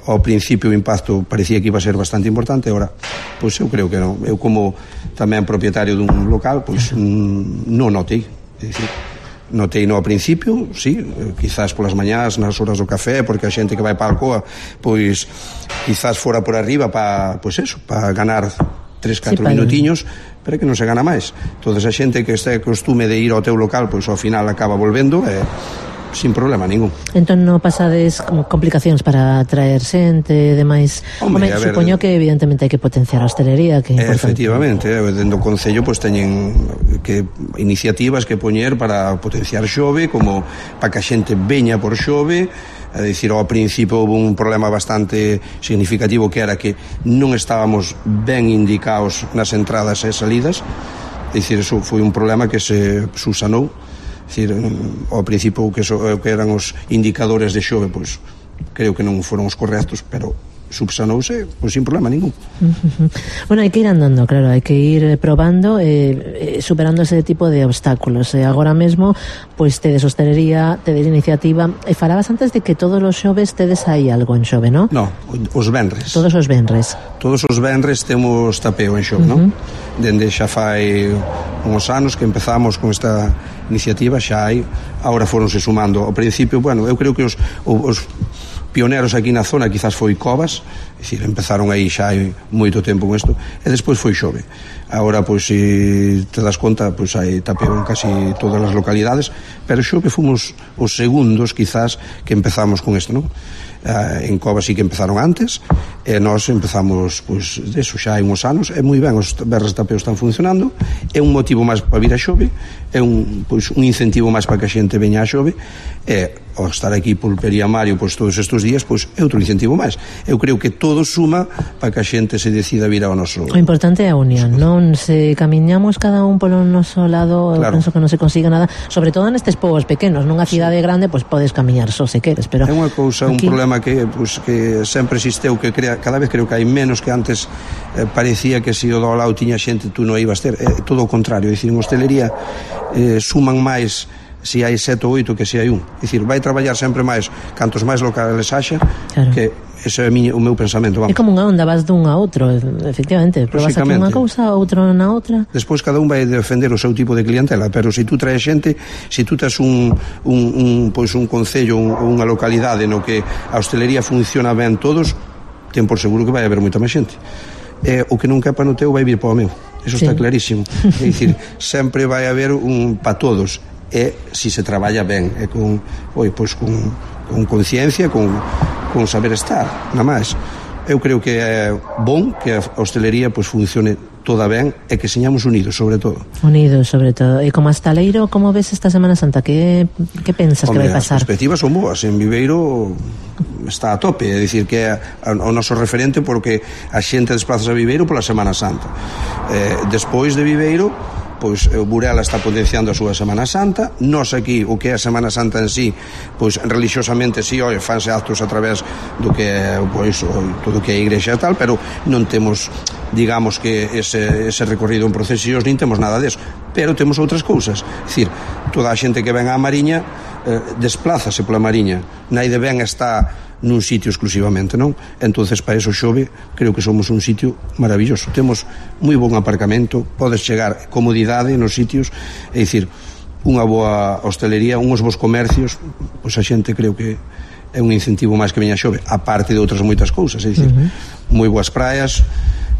ao principio o impacto parecía que iba a ser bastante importante, agora, eu creo que non. Eu como tamén propietario dun local, non notei. É dicir, notei no ao principio, sí, quizás polas mañás, nas horas do café, porque a xente que vai para a Alcoa, quizás fora por arriba para ganar 3-4 minutiños, pero que non se gana máis. Entonces a xente que este costume de ir ao teu local, ao final acaba volvendo sin problema ningún. Entón non pasades complicacións para traer xente e demais? Home, supoño que evidentemente hai que potenciar a hostelería, que é importante. Efectivamente, dentro do Concello teñen que iniciativas que poñer para potenciar Xove, como para que a xente veña por Xove. É dicir, ao principio houve un problema bastante significativo, que era que non estábamos ben indicados nas entradas e salidas. É dicir, eso foi un problema que se subsanou. É dicir, ao principio que eran os indicadores de Xove, creo que non foron os correctos, pero subsanouse, pois sin problema ningún. Bueno, hai que ir andando, claro, hai que ir probando, superando ese tipo de obstáculos. Agora mesmo, pois tedes hostelería, tedes iniciativa, e falabas antes de que todos os xoves tedes aí algo en Xove, non? No, os venres. Todos os venres. Todos os venres temos tapeo en Xove, non? Dende xa fai uns anos que empezamos con esta iniciativa, xa hai, agora foronse sumando. Ao principio, bueno, eu creo que os pioneros aquí na zona quizás foi Covas, é dicir, empezaron aí xa hai moito tempo con isto, e despois foi Xove. Agora, pois, se te das conta, pois hai tapeo en casi todas as localidades, pero Xove fomos os segundos, quizás, que empezamos con isto, non? En Covas sí que empezaron antes, e nós empezamos, pois, deso xa hai uns anos, e moi ben, os berres de tapeo están funcionando, é un motivo máis para vir a Xove, é un incentivo máis para que a xente veña a Xove, e ao estar aquí Pulpería Mario pois todos estes días, pois é outro incentivo máis. Eu creo que todo suma para que a xente se decida vir ao noso. O importante é a unión, non? Se camiñamos cada un polo noso lado, claro. Penso que non se consiga nada, sobre todo nestes povos pequenos, nunha cidade grande, pois podes camiñar só se queres, pero é unha cousa, aquí... un problema que sempre existeu, que cada vez creo que hai menos que antes. Parecía que se o do lado tiña xente, tú non ibas ter, todo o contrario, é dicir, en hostelería suman máis se hai 7 ou 8 que se hai un. É dicir, vai traballar sempre máis cantos máis locales haxa, claro. Que ese é o meu pensamento, vamos. É como unha onda, vas dun a outro, efectivamente, probas aquí unha cousa, outro na outra. Despois cada un vai defender o seu tipo de clientela, pero se tú traes xente, se tú tes un concello ou unha localidade no que a hostelería funciona ben todos, ten por seguro que vai haber moita máis xente. O que non quepa no teu vai vir para o meu. Eso está clarísimo. É dicir, sempre vai haber un para todos. E se se traballa ben, e con conciencia, con saber estar, nada máis. Eu creo que é bon que a hostelería pois funcione toda ben e que señamos unidos, sobre todo. Unidos, sobre todo. E como hostaleiro, como ves esta Semana Santa? Que pensas que vai pasar? As perspectivas son boas. En Viveiro está a tope, é dicir que é o noso referente porque a xente desplaza a Viveiro pola Semana Santa. Despois de Viveiro, pois Burela está potenciando a súa Semana Santa. Nós aquí, o que é a Semana Santa en sí, pois religiosamente sí, fanse actos a través do que é, pois, todo o que é a igrexa e tal, pero non temos, digamos que ese recorrido en procesións, nin temos nada deso, pero temos outras cousas. É dicir, toda a xente que ven á Mariña desplázase pola Mariña, naide ben está nun sitio exclusivamente, non? Entonces, para eso Xove, creo que somos un sitio maravilloso. Temos moi bon aparcamento, podes chegar comodidade nos sitios, é dicir, unha boa hostelería, uns bons comercios, pois a xente creo que é un incentivo máis que veña a Xove, aparte de outras moitas cousas, é dicir, moi boas praias,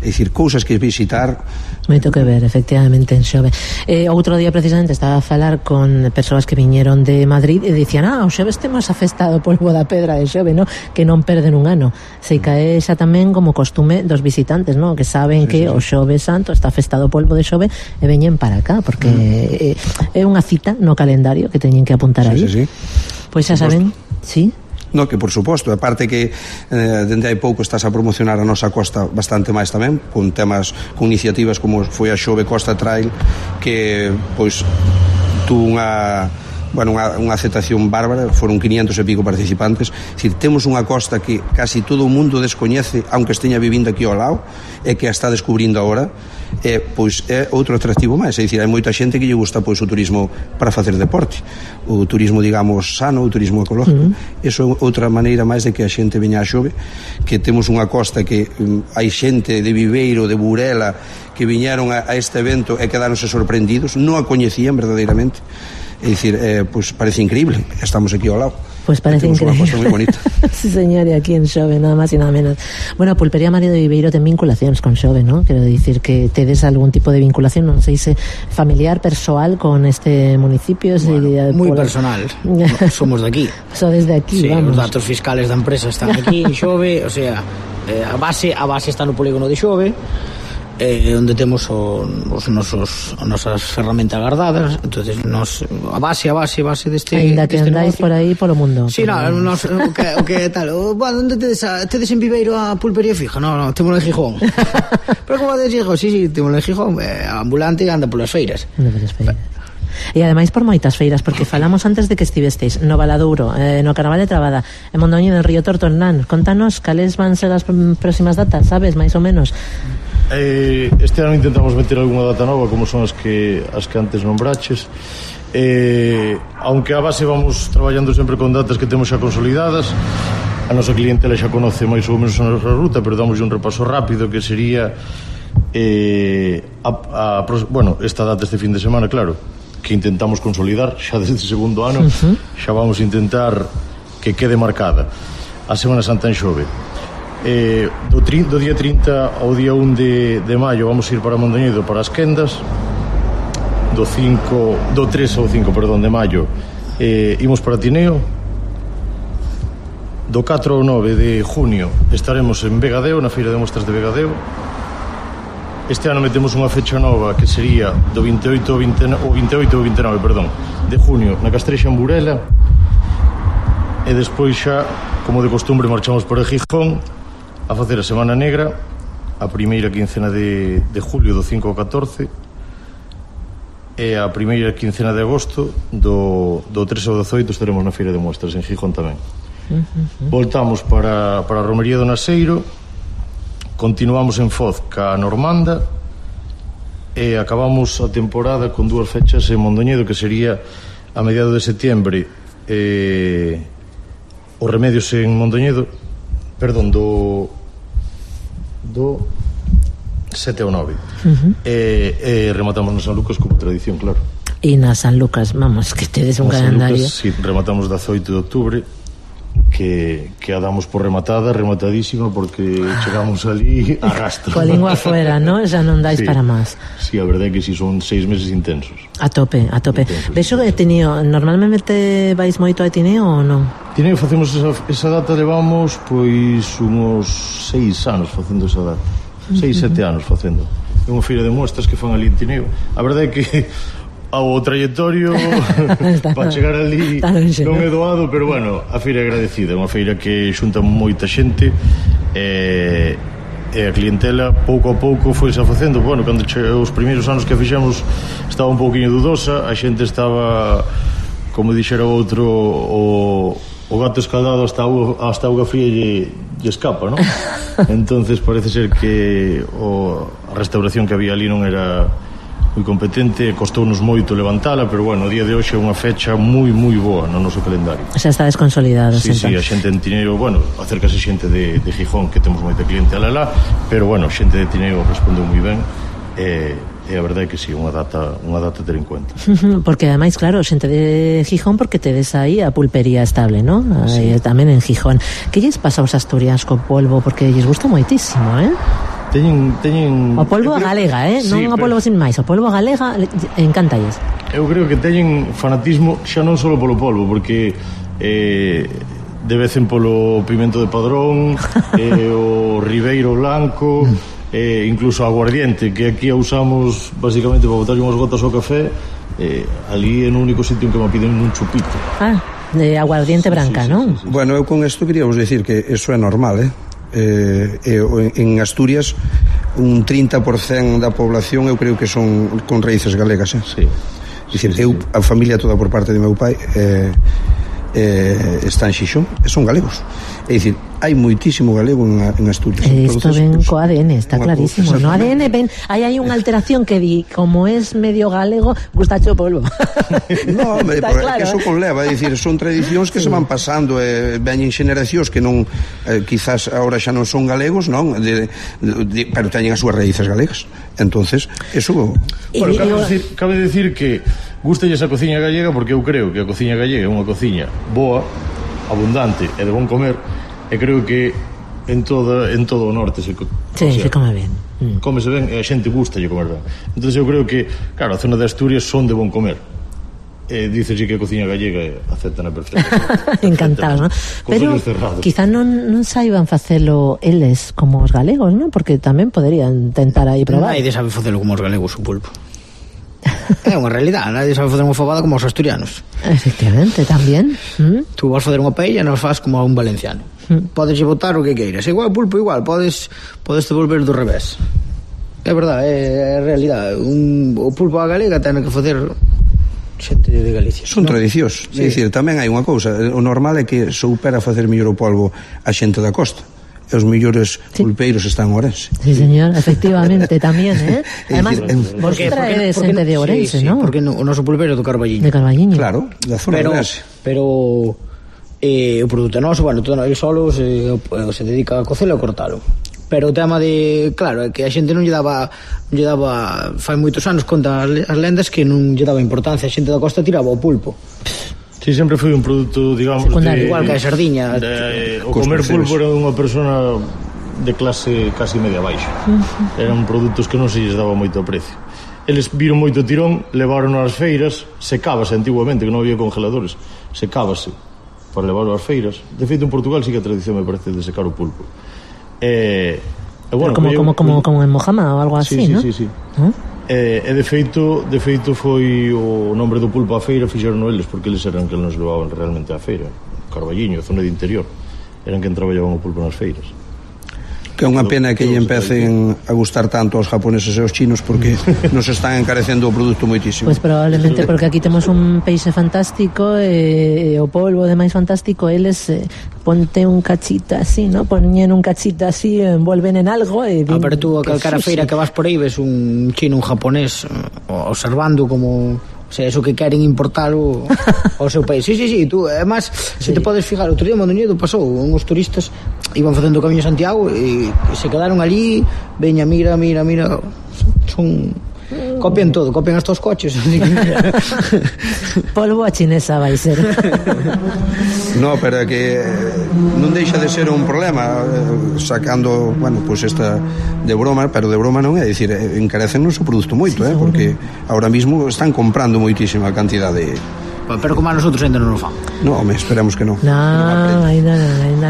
é dicir, cousas que visitar. Moito que ver, efectivamente, en Xove. Outro día precisamente estaba a falar con persoas que viñeron de Madrid e dicían, o Xove temos a festa do polvo da pedra de Xove, no? Que non perden un ano. Se cae xa tamén como costume dos visitantes, no? Que saben que o Xove Santo está a festa do polvo de Xove e veñen para acá, porque é unha cita no calendario que teñen que apuntar aí. Pois xa saben, sí. No, que por suposto, aparte que dende hai pouco estás a promocionar a nosa costa bastante máis tamén, con temas, con iniciativas como foi a Xove Costa Trail, que pois tú unha aceptación bárbara, foron 500 e pico participantes. É dicir, temos unha costa que casi todo o mundo descoñece, aunque esteña vivindo aquí ao lado, e que a está descubrindo agora, pois é outro atractivo máis. É dicir, hai moita xente que lle gusta pois o turismo para facer deporte, o turismo, digamos, sano, o turismo ecológico. Eso é outra maneira máis de que a xente veña a Xove, que temos unha costa que hai xente de Viveiro, de Burela, que viñeron a este evento e quedaronse sorprendidos, non a coñecían verdadeiramente. É dicir, pois parece increíble, estamos aquí ao lado. Pois parece increíble. Unha costa moi bonita. Sí, señor, e aquí en Xove, nada máis e nada menos. Bueno, a Pulpería Mario de Viveiro ten vinculacións con Xove, non? Quero dicir que tedes algún tipo de vinculación, non sei se familiar, persoal con este municipio. Bueno, moi personal. Somos de aquí. Sodes de aquí, vamos. Os datos fiscales da empresa están aquí en Xove, o sea, a base está no polígono de Xove, onde temos as nosas ferramentas guardadas. Entonces a base deste... Ainda que andáis por aí polo mundo. Sí, o que tal, onde tedes en Viveiro a pulpería fija? No, temos en Gijón. Pero como de Gijón? Sí, temos en Gijón, ambulante anda polas feiras. E ademais por moitas feiras, porque falamos antes de que estivesteis no Valadouro, no Carnaval de Trabada, en Mondoñedo, en Río Tortornán. Contanos cales van ser as próximas datas, sabes, máis ou menos? Este ano intentamos meter algunha data nova, como son as que antes nombraches. Aunque a base vamos traballando sempre con datas que temos xa consolidadas. A nosa clientela xa conoce máis ou menos a nosa ruta, pero damos un repaso rápido, que sería esta data este fin de semana, claro, que intentamos consolidar xa desde o segundo ano. Xa vamos a intentar que quede marcada a Semana Santa en Xove. Do día 30 ao día 1 de maio vamos a ir para Mondoñedo, para as Quendas. Do 3 ao 5, de maio imos para Tineo. Do 4 ao 9 de junio estaremos en Vegadeo, na Feira de Mostras de Vegadeo. Este ano metemos unha fecha nova, que sería do 28 ao 29 de junio na Castrexa, en Burela. E despois xa, como de costumbre, marchamos para Gijón a facer a Semana Negra, a primeira quincena de julio, do 5 ao 14, e a primeira quincena de agosto, do 3 ao 18, estaremos na Feira de Mostras en Gijón tamén. Voltamos para a Romería do Naseiro, continuamos en Foz ca Normanda e acabamos a temporada con dúas fechas en Mondoñedo, que sería a mediados de setembro os Remedios en Mondoñedo, do 7 ao 9. E rematamos na San Lucas como tradición, claro. E na San Lucas, vamos, que tedes un calendario. Lucas, sí, rematamos 18 de octubre, que a damos por rematadísima, porque chegamos ali a rastro. Coa lingua afuera, ¿no? Xa non dais para máis. Sí, a verdade é que si son 6 meses intensos. A tope. Vexo que Tineo, normalmente vais moito a Tineo ou non? Tineo facemos esa data, levamos pois unos 6 anos facendo esa data. 6-7 anos facendo. É unha feira de mostras que fan ali en Tineo. A verdade é que ao trayectorio para chegar ali non é doado, pero bueno, a feira é agradecida. É unha feira que xunta moita xente e a clientela pouco a pouco foi xa facendo. Bueno, cando os primeiros anos que a fixemos estaba un pouquinho dudosa, a xente estaba, como dixera outro, o gato escaldado hasta auga fría lle escapa, non? Entonces parece ser que a restauración que había ali non era moi competente, costounos moito levantala, pero bueno, o día de hoxe é unha fecha moi boa no noso calendario. Xa estades consolidados. Sí, a xente en Tineo, bueno, acércase xente de Gijón, que temos moita cliente alá, pero bueno, xente de Tineo respondeu moi ben, e a verdade é que sí, unha data a ter en conta. Porque ademais, claro, xente de Gijón, porque tedes aí a pulpería estable, ¿no? Sí. Tamén en Gijón. Que lles pasa aos asturianos co polvo? Porque lles gusta moitísimo, Teñen o polvo galega, non o polvo sin máis, o polvo galega encántalles. Eu creo que teñen fanatismo xa non só polo polvo, porque devecen polo pimento de Padrón, o ribeiro blanco, incluso a aguardiente, que aquí a usamos basicamente para botar unhas gotas ao café. Ali é no único sitio en que me piden un chupito. De aguardiente branca, non? Sí. Bueno, eu con isto queríamos decir que eso é normal, en Asturias un 30% da población eu creo que son con raíces galegas, Sí. Dicir, eu, a familia toda por parte de meu pai está en Xixón e son galegos. É dicir, hai moitísimo galego en Asturias. Isto ven co ADN, está clarísimo. No ADN ven, hai unha alteración que di, como es medio galego, gustacho polvo. No, hombre, claro, que eso conleva, é dicir, son tradicións que se van pasando, veñen xeneracións que non, quizás agora xa non son galegos, non, pero teñen as súas raíces galegas. Entonces, eso... Bueno, cabe decir que gustalle esa cociña gallega, porque eu creo que a cociña gallega é unha cociña boa, abundante e de bon comer, e creo que en todo o norte se come ben. Cómese ben e a xente gusta de comer ben. Entón eu creo que, claro, a zona de Asturias son de bon comer. Dícese que a cociña gallega aceptan a perfecta. Encantados, ¿no? Pero quizá non saiban facelo eles como os galegos, ¿no? Porque tamén poderían tentar aí probar. Nadie sabe facelo como os galegos o pulpo. É unha realidade, nadie sabe facer unha fabada como os asturianos. Efectivamente, tamén. Tú vas facer unha paella e non faz como a un valenciano. Podes botar o que queiras. Igual pulpo, igual, podes devolver do revés. É verdade, é realidade. O pulpo a galega ten que facer xente de Galicia. Son tradicións. É dicir, tamén hai unha cousa, o normal é que soupera facer mellor o polvo a xente da costa. E os mellores pulpeiros están en Ourense. Sí, señor, efectivamente, tamén, Además, vos traedes xente de Ourense, non? Porque o noso pulpeiro é do Carballiño. De Carballiño. Claro, da zona de Ourense. Pero o produto é noso, bueno, todo el solo se dedica a cocelo e a cortalo. Pero o tema de, claro, é que a xente non lle daba fai moitos anos, conta as lendas, que non lle daba importancia, a xente da costa tiraba o pulpo. Sí, sempre foi un produto, digamos, igual que a sardiña. O comer pulpo era unha persona de clase casi media baixa. Eran produtos que non se lles daba moito precio. Eles viron moito tirón, levaron ás feiras, secábase antiguamente, que non había congeladores, secábase para levarlo ás feiras. De feito, en Portugal sí que a tradición me parece de secar o pulpo. Bueno, como en Mojama ou algo así, ¿no? Sí. E de feito foi o nombre do pulpo á feira, fixeron eles, porque eles eran que nos levaban realmente á feira. Carballiño, zona de interior, eran quen traballaban o pulpo nas feiras. Que é unha pena que lle empecen a gustar tanto aos japoneses e aos chinos, porque nos están encarecendo o produto moitísimo. Pois probablemente porque aquí temos un peixe fantástico e o polvo demais fantástico, eles ponte un cachito así, ¿no? Poñen un cachito así, envuelven en algo e pero tú a calcara feira que vas por aí ves un chino, un japonés observando como... O sea, eso que queren importalo ao seu país. Sí, tú, además, se te podes fijar, outro día en Mondoñedo pasou, uns turistas iban facendo o camiño a Santiago e se quedaron ali, veña, mira, son... Copian todo, copian hasta os coches. Polvo a chinesa vai ser. No, pero é que non deixa de ser un problema, sacando, bueno, pues esta de broma, pero de broma non é, dicir, encarecennos o produto moito, porque ahora mismo están comprando moitísima cantidade. Pero como a nosotros ainda non o fan. No, home, esperamos que non. No, ainda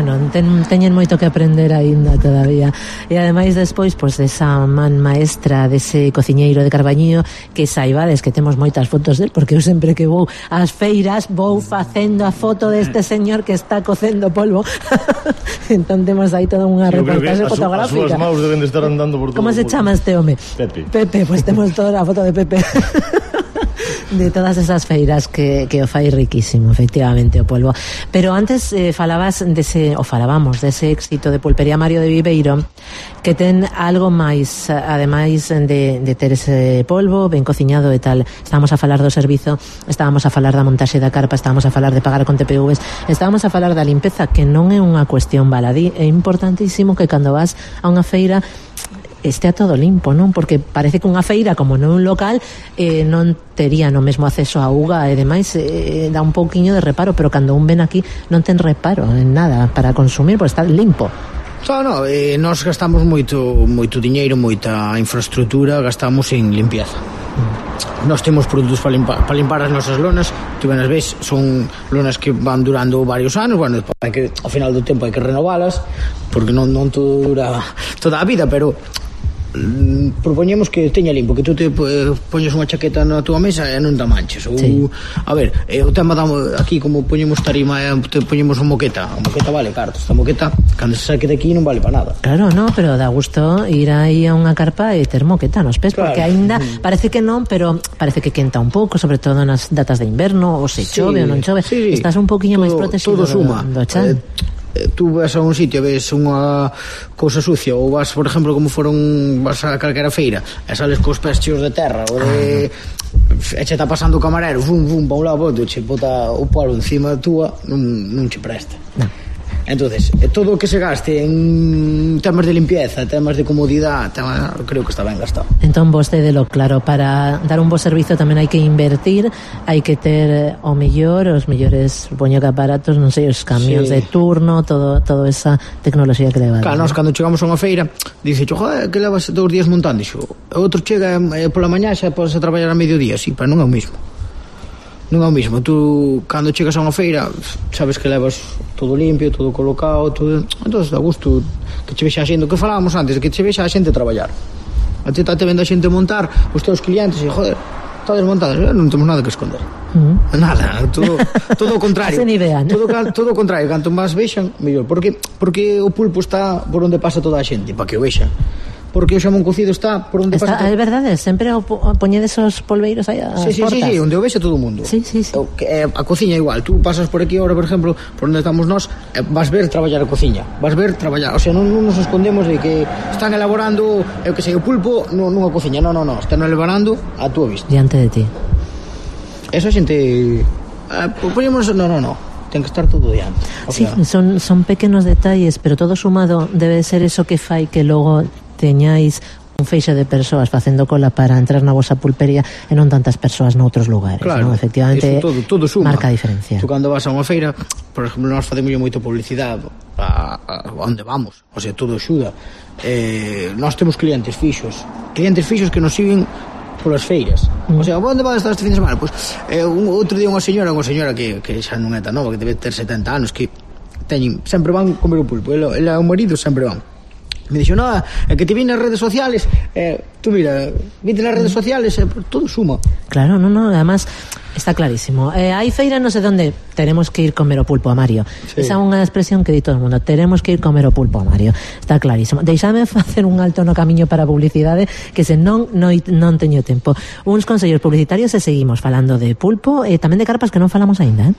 non. Teñen moito que aprender ainda todavía. E ademais despois, pois, desa man maestra dese cociñeiro de Carballiño, que saibades que temos moitas fotos del, porque eu sempre que vou ás feiras vou facendo a foto deste señor que está cocendo polvo. Entón temos aí toda unha reportaxe fotográfica. As súas maus deben de estar andando por todo. Como se chama este home? Pepe, pois temos toda a foto de Pepe. De todas esas feiras que o fai riquísimo, efectivamente, o polvo. Pero antes falábamos dese éxito de Pulpería Mario de Viveiro, que ten algo máis, ademais de ter ese polvo ben cociñado e tal. Estábamos a falar do servizo, estábamos a falar da montaxe da carpa, estábamos a falar de pagar con TPVs, estábamos a falar da limpeza, que non é unha cuestión baladí. É importantísimo que cando vas a unha feira estea todo limpo, non? Porque parece que unha feira, como non un local, non tería no mesmo acceso a auga e demais, dá un pouquiño de reparo, pero cando un ven aquí non ten reparo en nada para consumir, porque está limpo. Nós gastamos moito diñeiro, moita infraestructura, gastamos en limpieza. Nós temos produtos para limpar as nosas lonas, tú ben as ves, son lonas que van durando varios anos, bueno, ao final do tempo hai que renovalas, porque non todo dura toda a vida, pero propoñemos que teña limpo, que tú te poñes unha chaqueta na túa mesa e non te manches. A ver, o tema aquí, como poñemos tarima, te poñemos unha moqueta. A moqueta vale caro, esta moqueta cando se saque de aquí non vale para nada. Claro, no, pero dá gusto ir aí a unha carpa e ter moqueta nos pés, porque aínda parece que non, pero parece que quenta un pouco, sobre todo nas datas de inverno, ou se chove ou non chove, estás un pouquiño máis protegido do chan. Tú vas a un sitio, ves unha cousa sucia, ou vas, por exemplo, vas a calquera feira e sales cos pés cheos de terra ou de... e che está pasando o camarero, pa un lado, che bota o polvo encima túa, non che presta. Entonces, todo o que se gaste en temas de limpieza, temas de comodidade, creo que está ben gastado. Entón, vostedelo claro, para dar un bo servizo tamén hai que invertir, hai que ter os mellores poño que aparatos, non sei, os camións de turno, toda esa tecnoloxía que leva. Claro, nós cando chegamos a unha feira, dice, joder, que levas 2 días montando iso. Outro chega pola mañá, xa podes a traballar a mediodía, sí, pero non é o mismo. Non é o mismo, tú cando chegas a unha feira sabes que levas todo limpio, todo colocado, todo... Entón dá gusto que che vexa a xente, o que falábamos antes, que che vexa a xente traballar. A ti te vendo a xente montar os teus clientes e, joder, todos montados, non temos nada que esconder. Nada, todo o contrario. Todo o contrario, canto máis vexan, mellor. Porque o pulpo está por onde pasa toda a xente, para que o vexan. porque o xamón cocido está por onde pasa. É verdade, sempre poñedes os polveiros aí ás portas. Sí, onde o vexe todo o mundo. Sí. A cociña igual, tú pasas por aquí ahora, por exemplo, por onde estamos nós, vas ver traballar a cociña, vas ver traballar, o sea, non nos escondemos de que están elaborando, eu que sei, o pulpo nunha cociña, non, están elaborando a túa vista. Diante de ti. Eso a xente... poñemos, no, ten que estar todo diante. Sí, son pequenos detalles, pero todo sumado debe ser eso que fai que logo teñáis un feixe de persoas facendo cola para entrar na vosa pulpería e non tantas persoas noutros lugares, claro, non? Efectivamente, todo suma. Marca a diferencia. Tú cando vas a unha feira, por exemplo, nós facemos moito publicidade a onde vamos, o sea, todo axuda. Nós temos clientes fixos que nos siguen polas feiras. O sea, onde vas estar este fin de semana? Pois outro día unha señora que xa non é tan nova, que debe ter 70 anos, que sempre van comer o pulpo, ela e o marido sempre van. Me dixo, no, é que te vi nas redes sociales, tú mira, vite nas redes sociales, todo suma. Claro, no, además está clarísimo. Hai feira non sei onde, tenemos que ir comer o pulpo a Mario. Sí. Esa é unha expresión que di todo o mundo, tenemos que ir comer o pulpo a Mario. Está clarísimo. Deixame facer un alto no camiño para a publicidade, que se non teño tempo. Uns consellos publicitarios e seguimos falando de pulpo e tamén de carpas que non falamos aínda,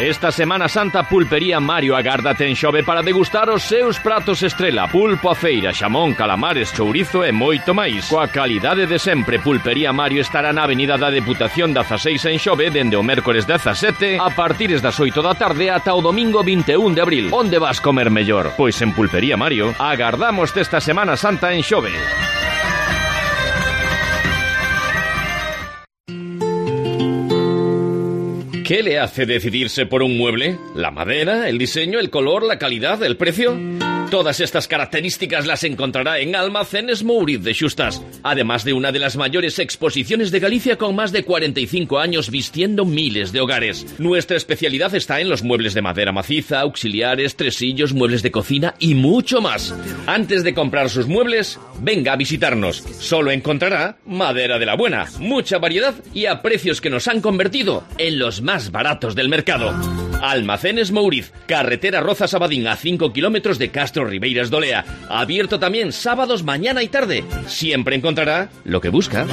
Esta Semana Santa Pulpería Mario agárdate en Xove para degustar os seus pratos estrela, pulpo a feira, xamón, calamares, chourizo e moito máis. Coa calidade de sempre, Pulpería Mario estará na Avenida da Deputación 16 en Xove dende o mércores 17 a partires das 8 da tarde ata o domingo 21 de abril. Onde vas comer mellor? Pois en Pulpería Mario. Agardamos esta Semana Santa en Xove. ¿Qué le hace decidirse por un mueble? ¿La madera, el diseño, el color, la calidad, el precio? Todas estas características las encontrará en Almacenes Mouriz de Xustas, además de una de las mayores exposiciones de Galicia con más de 45 años vistiendo miles de hogares. Nuestra especialidad está en los muebles de madera maciza, auxiliares, tresillos, muebles de cocina y mucho más. Antes de comprar sus muebles, venga a visitarnos. Solo encontrará madera de la buena, mucha variedad y a precios que nos han convertido en los más baratos del mercado. Almacenes Mouriz, carretera Rozas-Abadín a 5 kilómetros de Castro Ribeiras de Olea. Abierto también sábados mañana y tarde. Siempre encontrará lo que busca.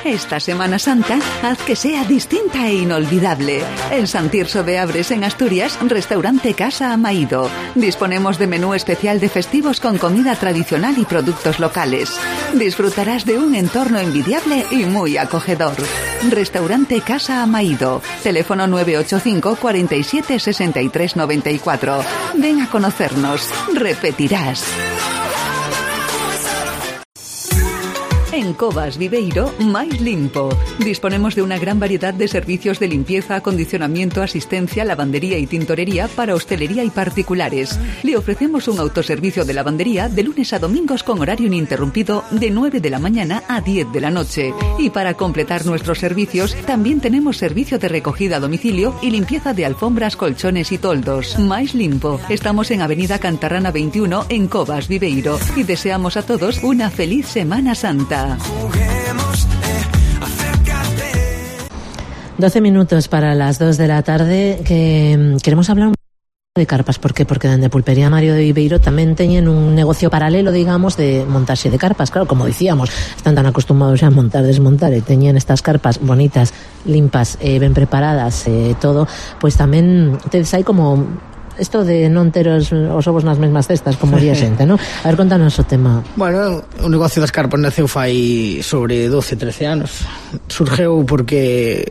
Esta Semana Santa, haz que sea distinta e inolvidable. En San Tirso de Abres, en Asturias, restaurante Casa Amaído. Disponemos de menú especial de festivos con comida tradicional y productos locales. Disfrutarás de un entorno envidiable y muy acogedor. Restaurante Casa Amaído. Teléfono 985 47 63 94. Ven a conocernos. Repetirás. En Covas Viveiro, máis limpo. Disponemos de una gran variedad de servicios de limpieza, acondicionamiento, asistencia, lavandería y tintorería para hostelería y particulares. Le ofrecemos un autoservicio de lavandería de lunes a domingos con horario ininterrumpido de 9 de la mañana a 10 de la noche. Y para completar nuestros servicios, también tenemos servicio de recogida a domicilio y limpieza de alfombras, colchones y toldos. Máis limpo. Estamos en Avenida Cantarrana 21 en Covas Viveiro y deseamos a todos una feliz Semana Santa. 12 minutos para las 2 de la tarde, que queremos hablar un poco de carpas. ¿Por qué? Porque dende Pulpería Mario de Viveiro tamén teñen un negocio paralelo, digamos, de montaxe de carpas. Claro, como dicíamos, están tan acostumados a montar, desmontar, e teñen estas carpas bonitas, limpas, ben preparadas, todo, pois tamén tedes aí como esto de non ter os ovos nas mesmas cestas, como diría xente, non? A ver, contanos o tema. Bueno, o negocio das carpas naceu fai sobre 12-13 anos. Surgeu porque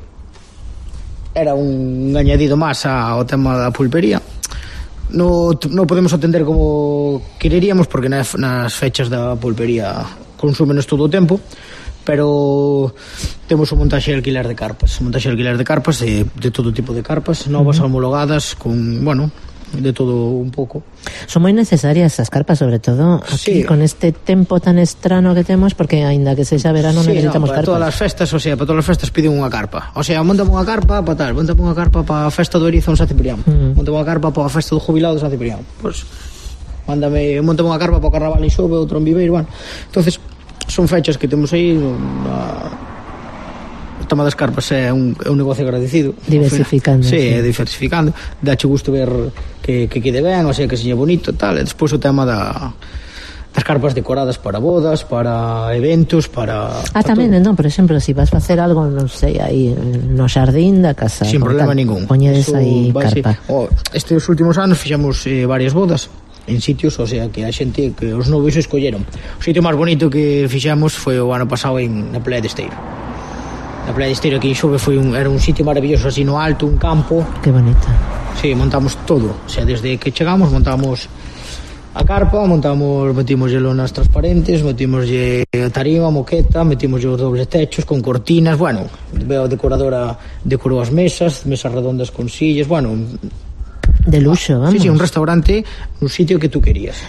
era un añadido máis ao tema da pulpería. Non podemos atender como quereríamos, porque nas fechas da pulpería consúmenos todo o tempo, pero temos un montaxe e alquiler de carpas, de todo tipo de carpas, novas, homologadas, con, bueno, de todo un pouco. Son moi necesarias as carpas, sobre todo aquí, sí, con este tempo tan estrano que temos, porque aínda que sexa verano necesitamos carpas. Para todas as festas, o sea, para todas as festas piden unha carpa. O sea, montame unha carpa para tal, montame unha carpa para a festa do Erizo en San Ciprián, montame unha carpa para a festa do jubilado de San Ciprián. Pois montame unha carpa para o Carnaval en Xove, outro en Viveiro, bueno. Entonces, son fechas que temos aí. O tema das carpas é un negocio agradecido. Diversificando. Sí, diversificando. Dache gusto ver que quede ben, o sea, que seña bonito tal, e despois o tema das carpas decoradas para bodas, para eventos, para tamén, non, por exemplo, se vas facer algo, non sei, aí no xardín da casa, sin problema ningún, poñedes aí carpa. Estes últimos anos fixamos varias bodas en sitios, o sea, que a xente, que os novios escolleron. O sitio máis bonito que fixamos foi o ano pasado na Playa de Esteiro. Na Playa de Esteiro aquí en Xove era un sitio maravilloso, así no alto, un campo. Que bonito. Sí, montamos todo, o sea, desde que chegamos montamos a carpa, metimos lonas transparentes, metimos tarima, moqueta, metimos os dobles techos con cortinas, bueno, a decoradora decorou as mesas redondas con sillas, bueno, de luxo, vamos. Sí, un restaurante, un sitio que tú querías.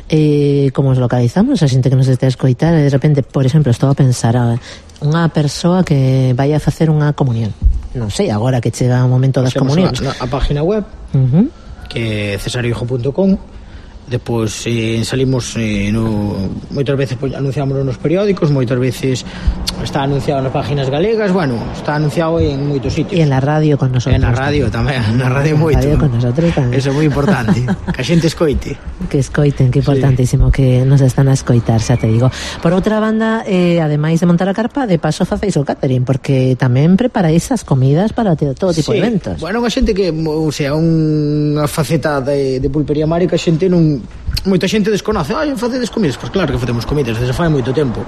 Como os localizamos, a xente que nos este a escoitar, de repente, por exemplo, estou a pensar unha persoa que vai a facer unha comunión, non sei, agora que chega o momento das comunións, a página web que é cesariohijo.com. Depois salimos moitas veces anunciámoslo nos periódicos, moitas veces está anunciado nas páginas galegas, bueno, está anunciado en moitos sitios. E en la radio con nosotros. En la radio tamén, na radio moito. Radio con nosotros tamén. Eso é moi importante, que a xente escoite. Que escoiten, que importantísimo que nos están a escoitar, xa te digo. Por outra banda, ademais de montar a carpa, de paso facéis o catering, porque tamén preparáis as comidas para todo tipo de eventos. Bueno, unha xente que, o sea, unha faceta de Pulpería Mario que a xente non, moita xente desconoce. Facedes comidas? Pois claro que facemos comidas desde fai moito tempo.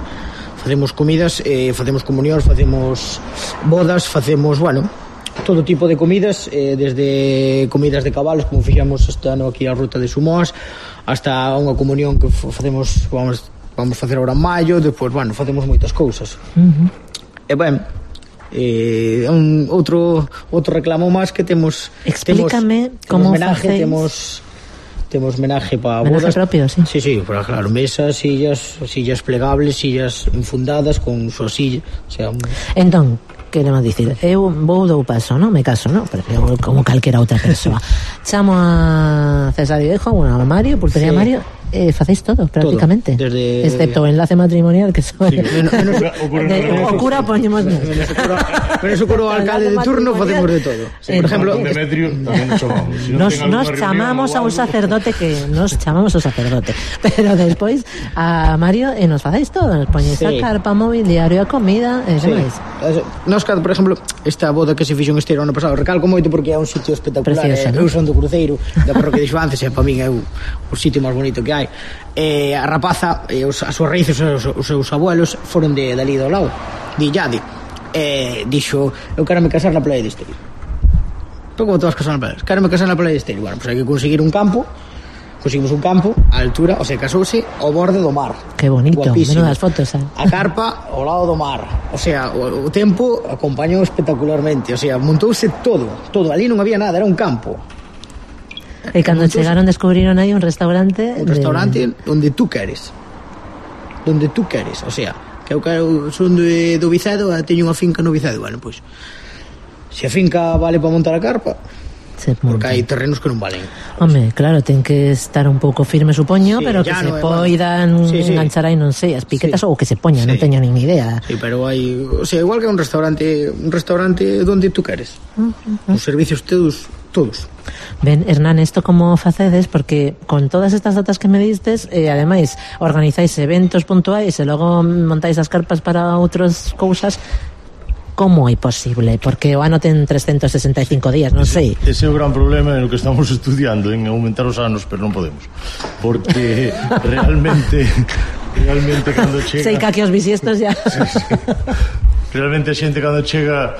Facemos comidas, facemos comunións, facemos bodas, facemos, bueno, todo tipo de comidas, desde comidas de cabalos, como fixamos este ano aquí a ruta de Sumoas, hasta unha comunión que facemos, vamos facer ahora en maio, depois, bueno, facemos moitas cousas. E ben, outro reclamo máis que temos. Explícame como facéis. Temos menaje para bodas. Menaje propio, sí. Sí, pero claro, mesas, sillas plegables, sillas infundadas con súa silla, o sea, entón, queremos dicir, eu vou dou paso, non? Me caso, non? Pero eu como calquera outra persoa. Chamo a Cesariohijo, a Mario, Pulpería Mario, facéis todo, prácticamente. Todo, excepto o enlace matrimonial, que soy o cura poñemos menos o cura o alcalde de turno, facemos de todo. Por ejemplo, Demetrio tamén chamamos. Nos chamamos a un sacerdote pero despois a Mario e nos facéis todo, nos poñéis a carpa, mobiliario, a comida e demais. Nos, por exemplo, esta boda que se fixo en Esteiro ano pasado, recalco moito porque é un sitio espectacular. Eu son do Cruceiro da parroquia de Xuances e para min é o sitio máis bonito que hai. A rapaza, as súas raíces, os seus abuelos foron de dali do lado, de Illade. Dixo, eu quero me casar na Playa de Esteiro. Pero como te vas casar na Playa? Quero me casar na Playa de Esteiro. Bueno, pues hai que conseguir un campo. Conseguimos un campo a altura, o sea, casouse ao borde do mar. Que bonito, menudas fotos, A carpa ao lado do mar. O sea, o tempo acompañou espectacularmente. O sea, montouse todo. Ali non había nada, era un campo. E cando chegaron descubriron aí un restaurante. Un restaurante onde tú queres. O sea, que eu son do Vicedo, teño unha finca no Vicedo. Bueno, pois, se a finca vale para montar a carpa, porque hai terrenos que non valen. Home, claro, ten que estar un pouco firme, supoño, pero que se poidan enganchar aí, non sei, as piquetas ou que se poñan, non teño nin idea. Sí, pero hai, o sea, igual que un restaurante donde tú queres. Os servicios todos. Ben, Hernán, isto como facedes? Porque con todas estas datas que me distes, ademais, organizáis eventos puntuais e logo montáis as carpas para outras cousas. Como é posible? Porque o ano ten 365 días, non sei. Ese é o gran problema en o que estamos estudiando, en aumentar os anos, pero non podemos. Porque realmente cando chega... Sei que aquí os bisiestos ya... Sí. Realmente a xente cando chega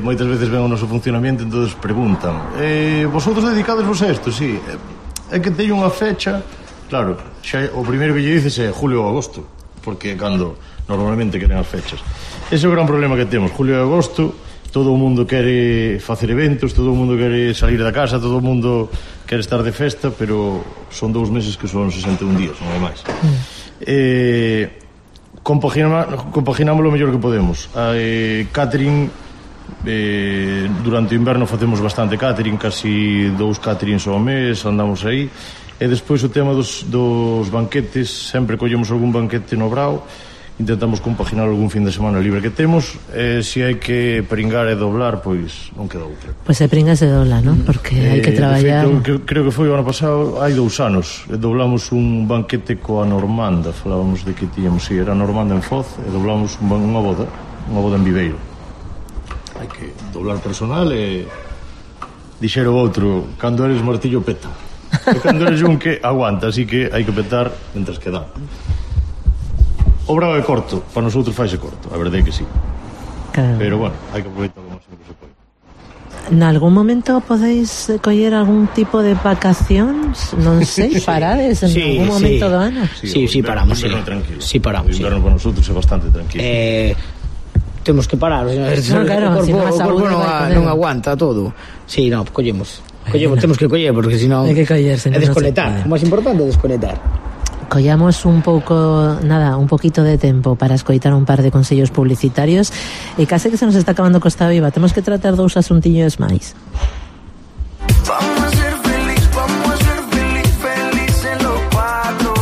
moitas veces ven o noso funcionamento, entonces preguntan vosotros dedicados vos a isto? Sí, é que teño unha fecha. Claro, xa o primeiro que lle dices é julio ou agosto, porque cando normalmente queren as fechas. Ese é o gran problema que temos. Julio e agosto, todo o mundo quere facer eventos, todo o mundo quere salir da casa, todo o mundo quere estar de festa, pero son 2 meses que son 61 días, non é máis. Compaginamos o mellor que podemos. Catering, durante o inverno facemos bastante catering, casi 2 caterings ao mes, andamos aí. E despois o tema dos banquetes, sempre collemos algún banquete no Brao. intentamos compaginar algún fin de semana libre que temos, se hai que pringar e doblar, pois non queda outra. Pois se pringas e dobla, non? Porque hai que traballar. De feito, creo que foi o ano pasado, hai 2 anos, doblamos un banquete coa Normanda, falábamos de que tiñamos, era Normanda en Foz, e doblamos unha boda en Viveiro. Hai que doblar personal e dixera o outro, cando eres martillo peta. E cando eres un que aguanta, así que hai que petar mentres que dá. O bravo é corto, para nosotros faise corto, a verdade é que sí. Claro. Pero bueno, hai que aproveitar o máximo que se pode. Nalgún momento podéis coller algún tipo de vacacións? Non sei, parades en algún momento do ano? Sí, paramos, sí. Sí, paramos. O inverno para nosotros é bastante tranquilo. Temos que parar, claro, o corpo non aguanta todo. Sí, no, collemos, temos que coller, porque senón hai que coller, é desconectar. O máis importante é desconectar. Collamos un poquito de tempo para escoitar un par de consellos publicitarios e case que se nos está acabando Costa Viva. Temos que tratar 2 asuntillos máis.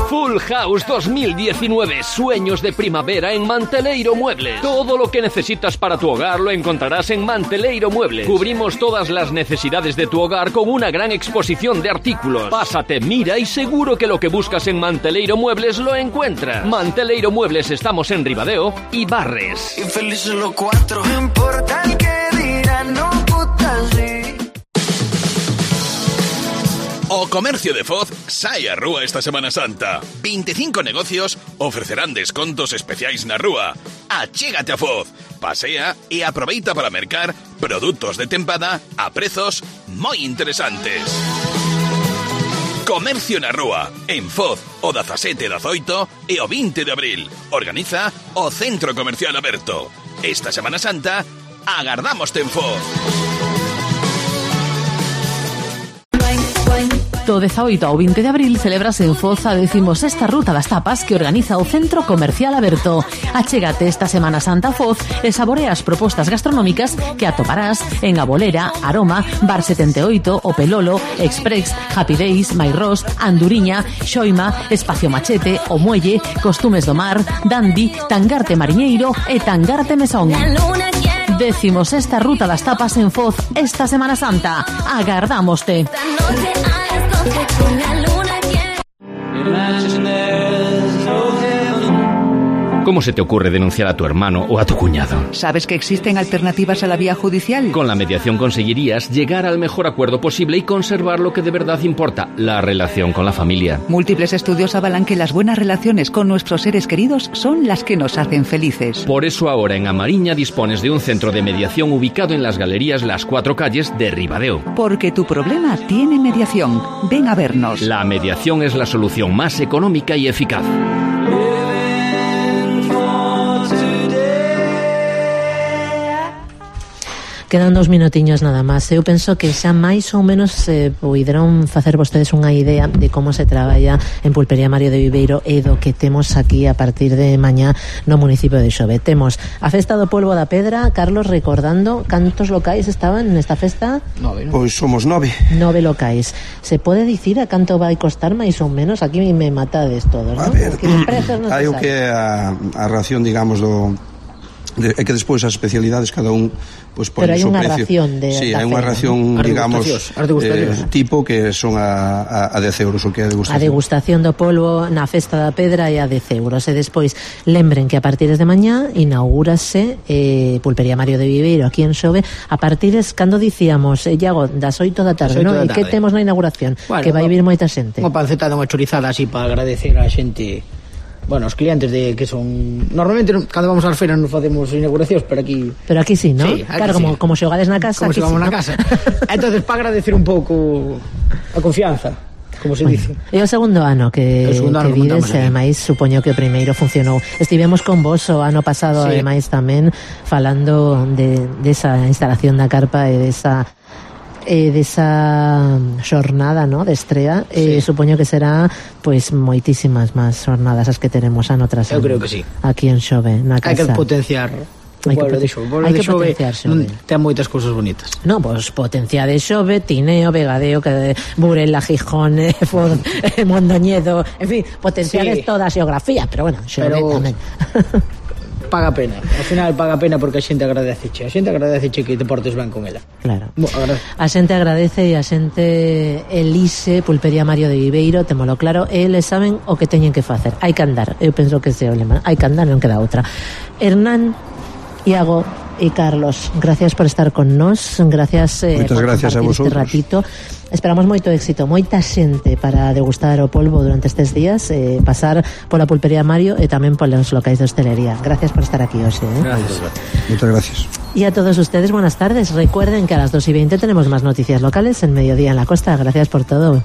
Full House 2019, sueños de primavera en Manteleiro Muebles. Todo lo que necesitas para tu hogar lo encontrarás en Manteleiro Muebles. Cubrimos todas las necesidades de tu hogar con una gran exposición de artículos. Pásate, mira y seguro que lo que buscas en Manteleiro Muebles lo encuentras. Manteleiro Muebles, estamos en Ribadeo y Barres. Infelices los 4, no importa el que dirán, no putas sí. O Comercio de Foz sai a rúa esta Semana Santa. 25 negocios ofrecerán descontos especiais na rúa. Achégate a Foz, pasea e aproveita para mercar produtos de tempada a prezos moi interesantes. Comercio na rúa, en Foz, o 17, 18 e o 20 de abril. Organiza o Centro Comercial Aberto. Esta Semana Santa, agardámoste en Foz. Do 18 ao 20 de abril celebras en Foz a 16ª Ruta das Tapas que organiza o Centro Comercial Aberto. Achégate esta Semana Santa a Foz e saborea as propostas gastronómicas que atoparás en A Bolera, Aroma, Bar 78, O Pelolo, Express, Happy Days, Mairós, Anduriña, Xoima, Espacio Machete, O Muelle, Costumes do Mar, Dandy, Tangarte Mariñeiro e Tangarte Mesón. 16ª Ruta das Tapas en Foz esta Semana Santa. Agardámoste. ¿Cómo se te ocurre denunciar a tu hermano o a tu cuñado? ¿Sabes que existen alternativas a la vía judicial? Con la mediación conseguirías llegar al mejor acuerdo posible y conservar lo que de verdad importa, la relación con la familia. Múltiples estudios avalan que las buenas relaciones con nuestros seres queridos son las que nos hacen felices. Por eso ahora en Amariña dispones de un centro de mediación ubicado en las galerías Las Cuatro Calles de Ribadeo. Porque tu problema tiene mediación. Ven a vernos. La mediación es la solución más económica y eficaz. Quedan 2 minutiños nada máis. Eu penso que xa máis ou menos poderán facer vostedes unha idea de como se traballa en Pulpería Mario de Viveiro e do que temos aquí a partir de mañá no municipio de Xove. Temos a Festa do Polvo da Pedra. Carlos, recordando, cantos locais estaban nesta festa? 9, ¿no? Pois somos 9. 9 locais. Se pode dicir a canto vai costar máis ou menos? Aquí me matades todos, ¿no? A ver, hai o que é a ración, digamos, é que despois as especialidades cada un pois pon o seu precio. Pero hai unha ración de sí, hai unha ración, digamos, tipo que son a 10 euros o que é a degustación. A degustación do polvo na Festa da Pedra é a 10 euros. E despois lembren que a partir de mañá inaugúrase Pulpería Mario de Viveiro aquí en Xove a partir cando dicíamos, Iago, das 8 da tarde, non? E que temos na inauguración? Bueno, que vai vir moita xente. Unha panceta unha chorizada así para agradecer a xente. Bueno, os clientes de que son... Normalmente, cando vamos ás feiras non facemos inauguracións, pero aquí sí, ¿no? Sí, claro, sí. Como xogades na casa. Como xogamos na casa. Entonces, para agradecer un pouco a confianza, como se dice. É o segundo ano que vides, e ademais supoño que o primeiro funcionou. Estivemos con vos o ano pasado, sí. Ademais tamén falando de esa instalación da carpa e desa xornada, ¿no?, de estrea. Sí. Supoño que será pois moitísimas máis xornadas as que teremos ano tras ano. Eu creo que sí. Aquí en Xove, na casa. Hai que potenciar O pueblo de Xove ten moitas cousas bonitas. No, pois potenciade Xove, Tineo, Vegadeo, Burela, Gijón, Mondoñedo, en fin, potenciades toda a xeografía, pero bueno, Xove tamén. Paga pena, ao final paga pena porque a xente agradeceche que te portes ben con ela. Claro. A xente agradece e a xente elise Pulpería Mario de Viveiro, témolo claro, e eles saben o que teñen que facer. Hai que andar, eu penso que ese é o lema, hai que andar, non queda outra. Hernán, Iago e Carlos, gracias por estar con nós, gracias por gracias a vosotros. Este ratito. Esperamos moito éxito, moita xente para degustar o polvo durante estes días, pasar pola Pulpería Mario e tamén polos locais de hostelería. Gracias por estar aquí hoxe. Gracias. Muchas gracias. Y a todos ustedes, buenas tardes. Recuerden que a las 2:20 tenemos más noticias locales en Mediodía en la Costa. Gracias por todo.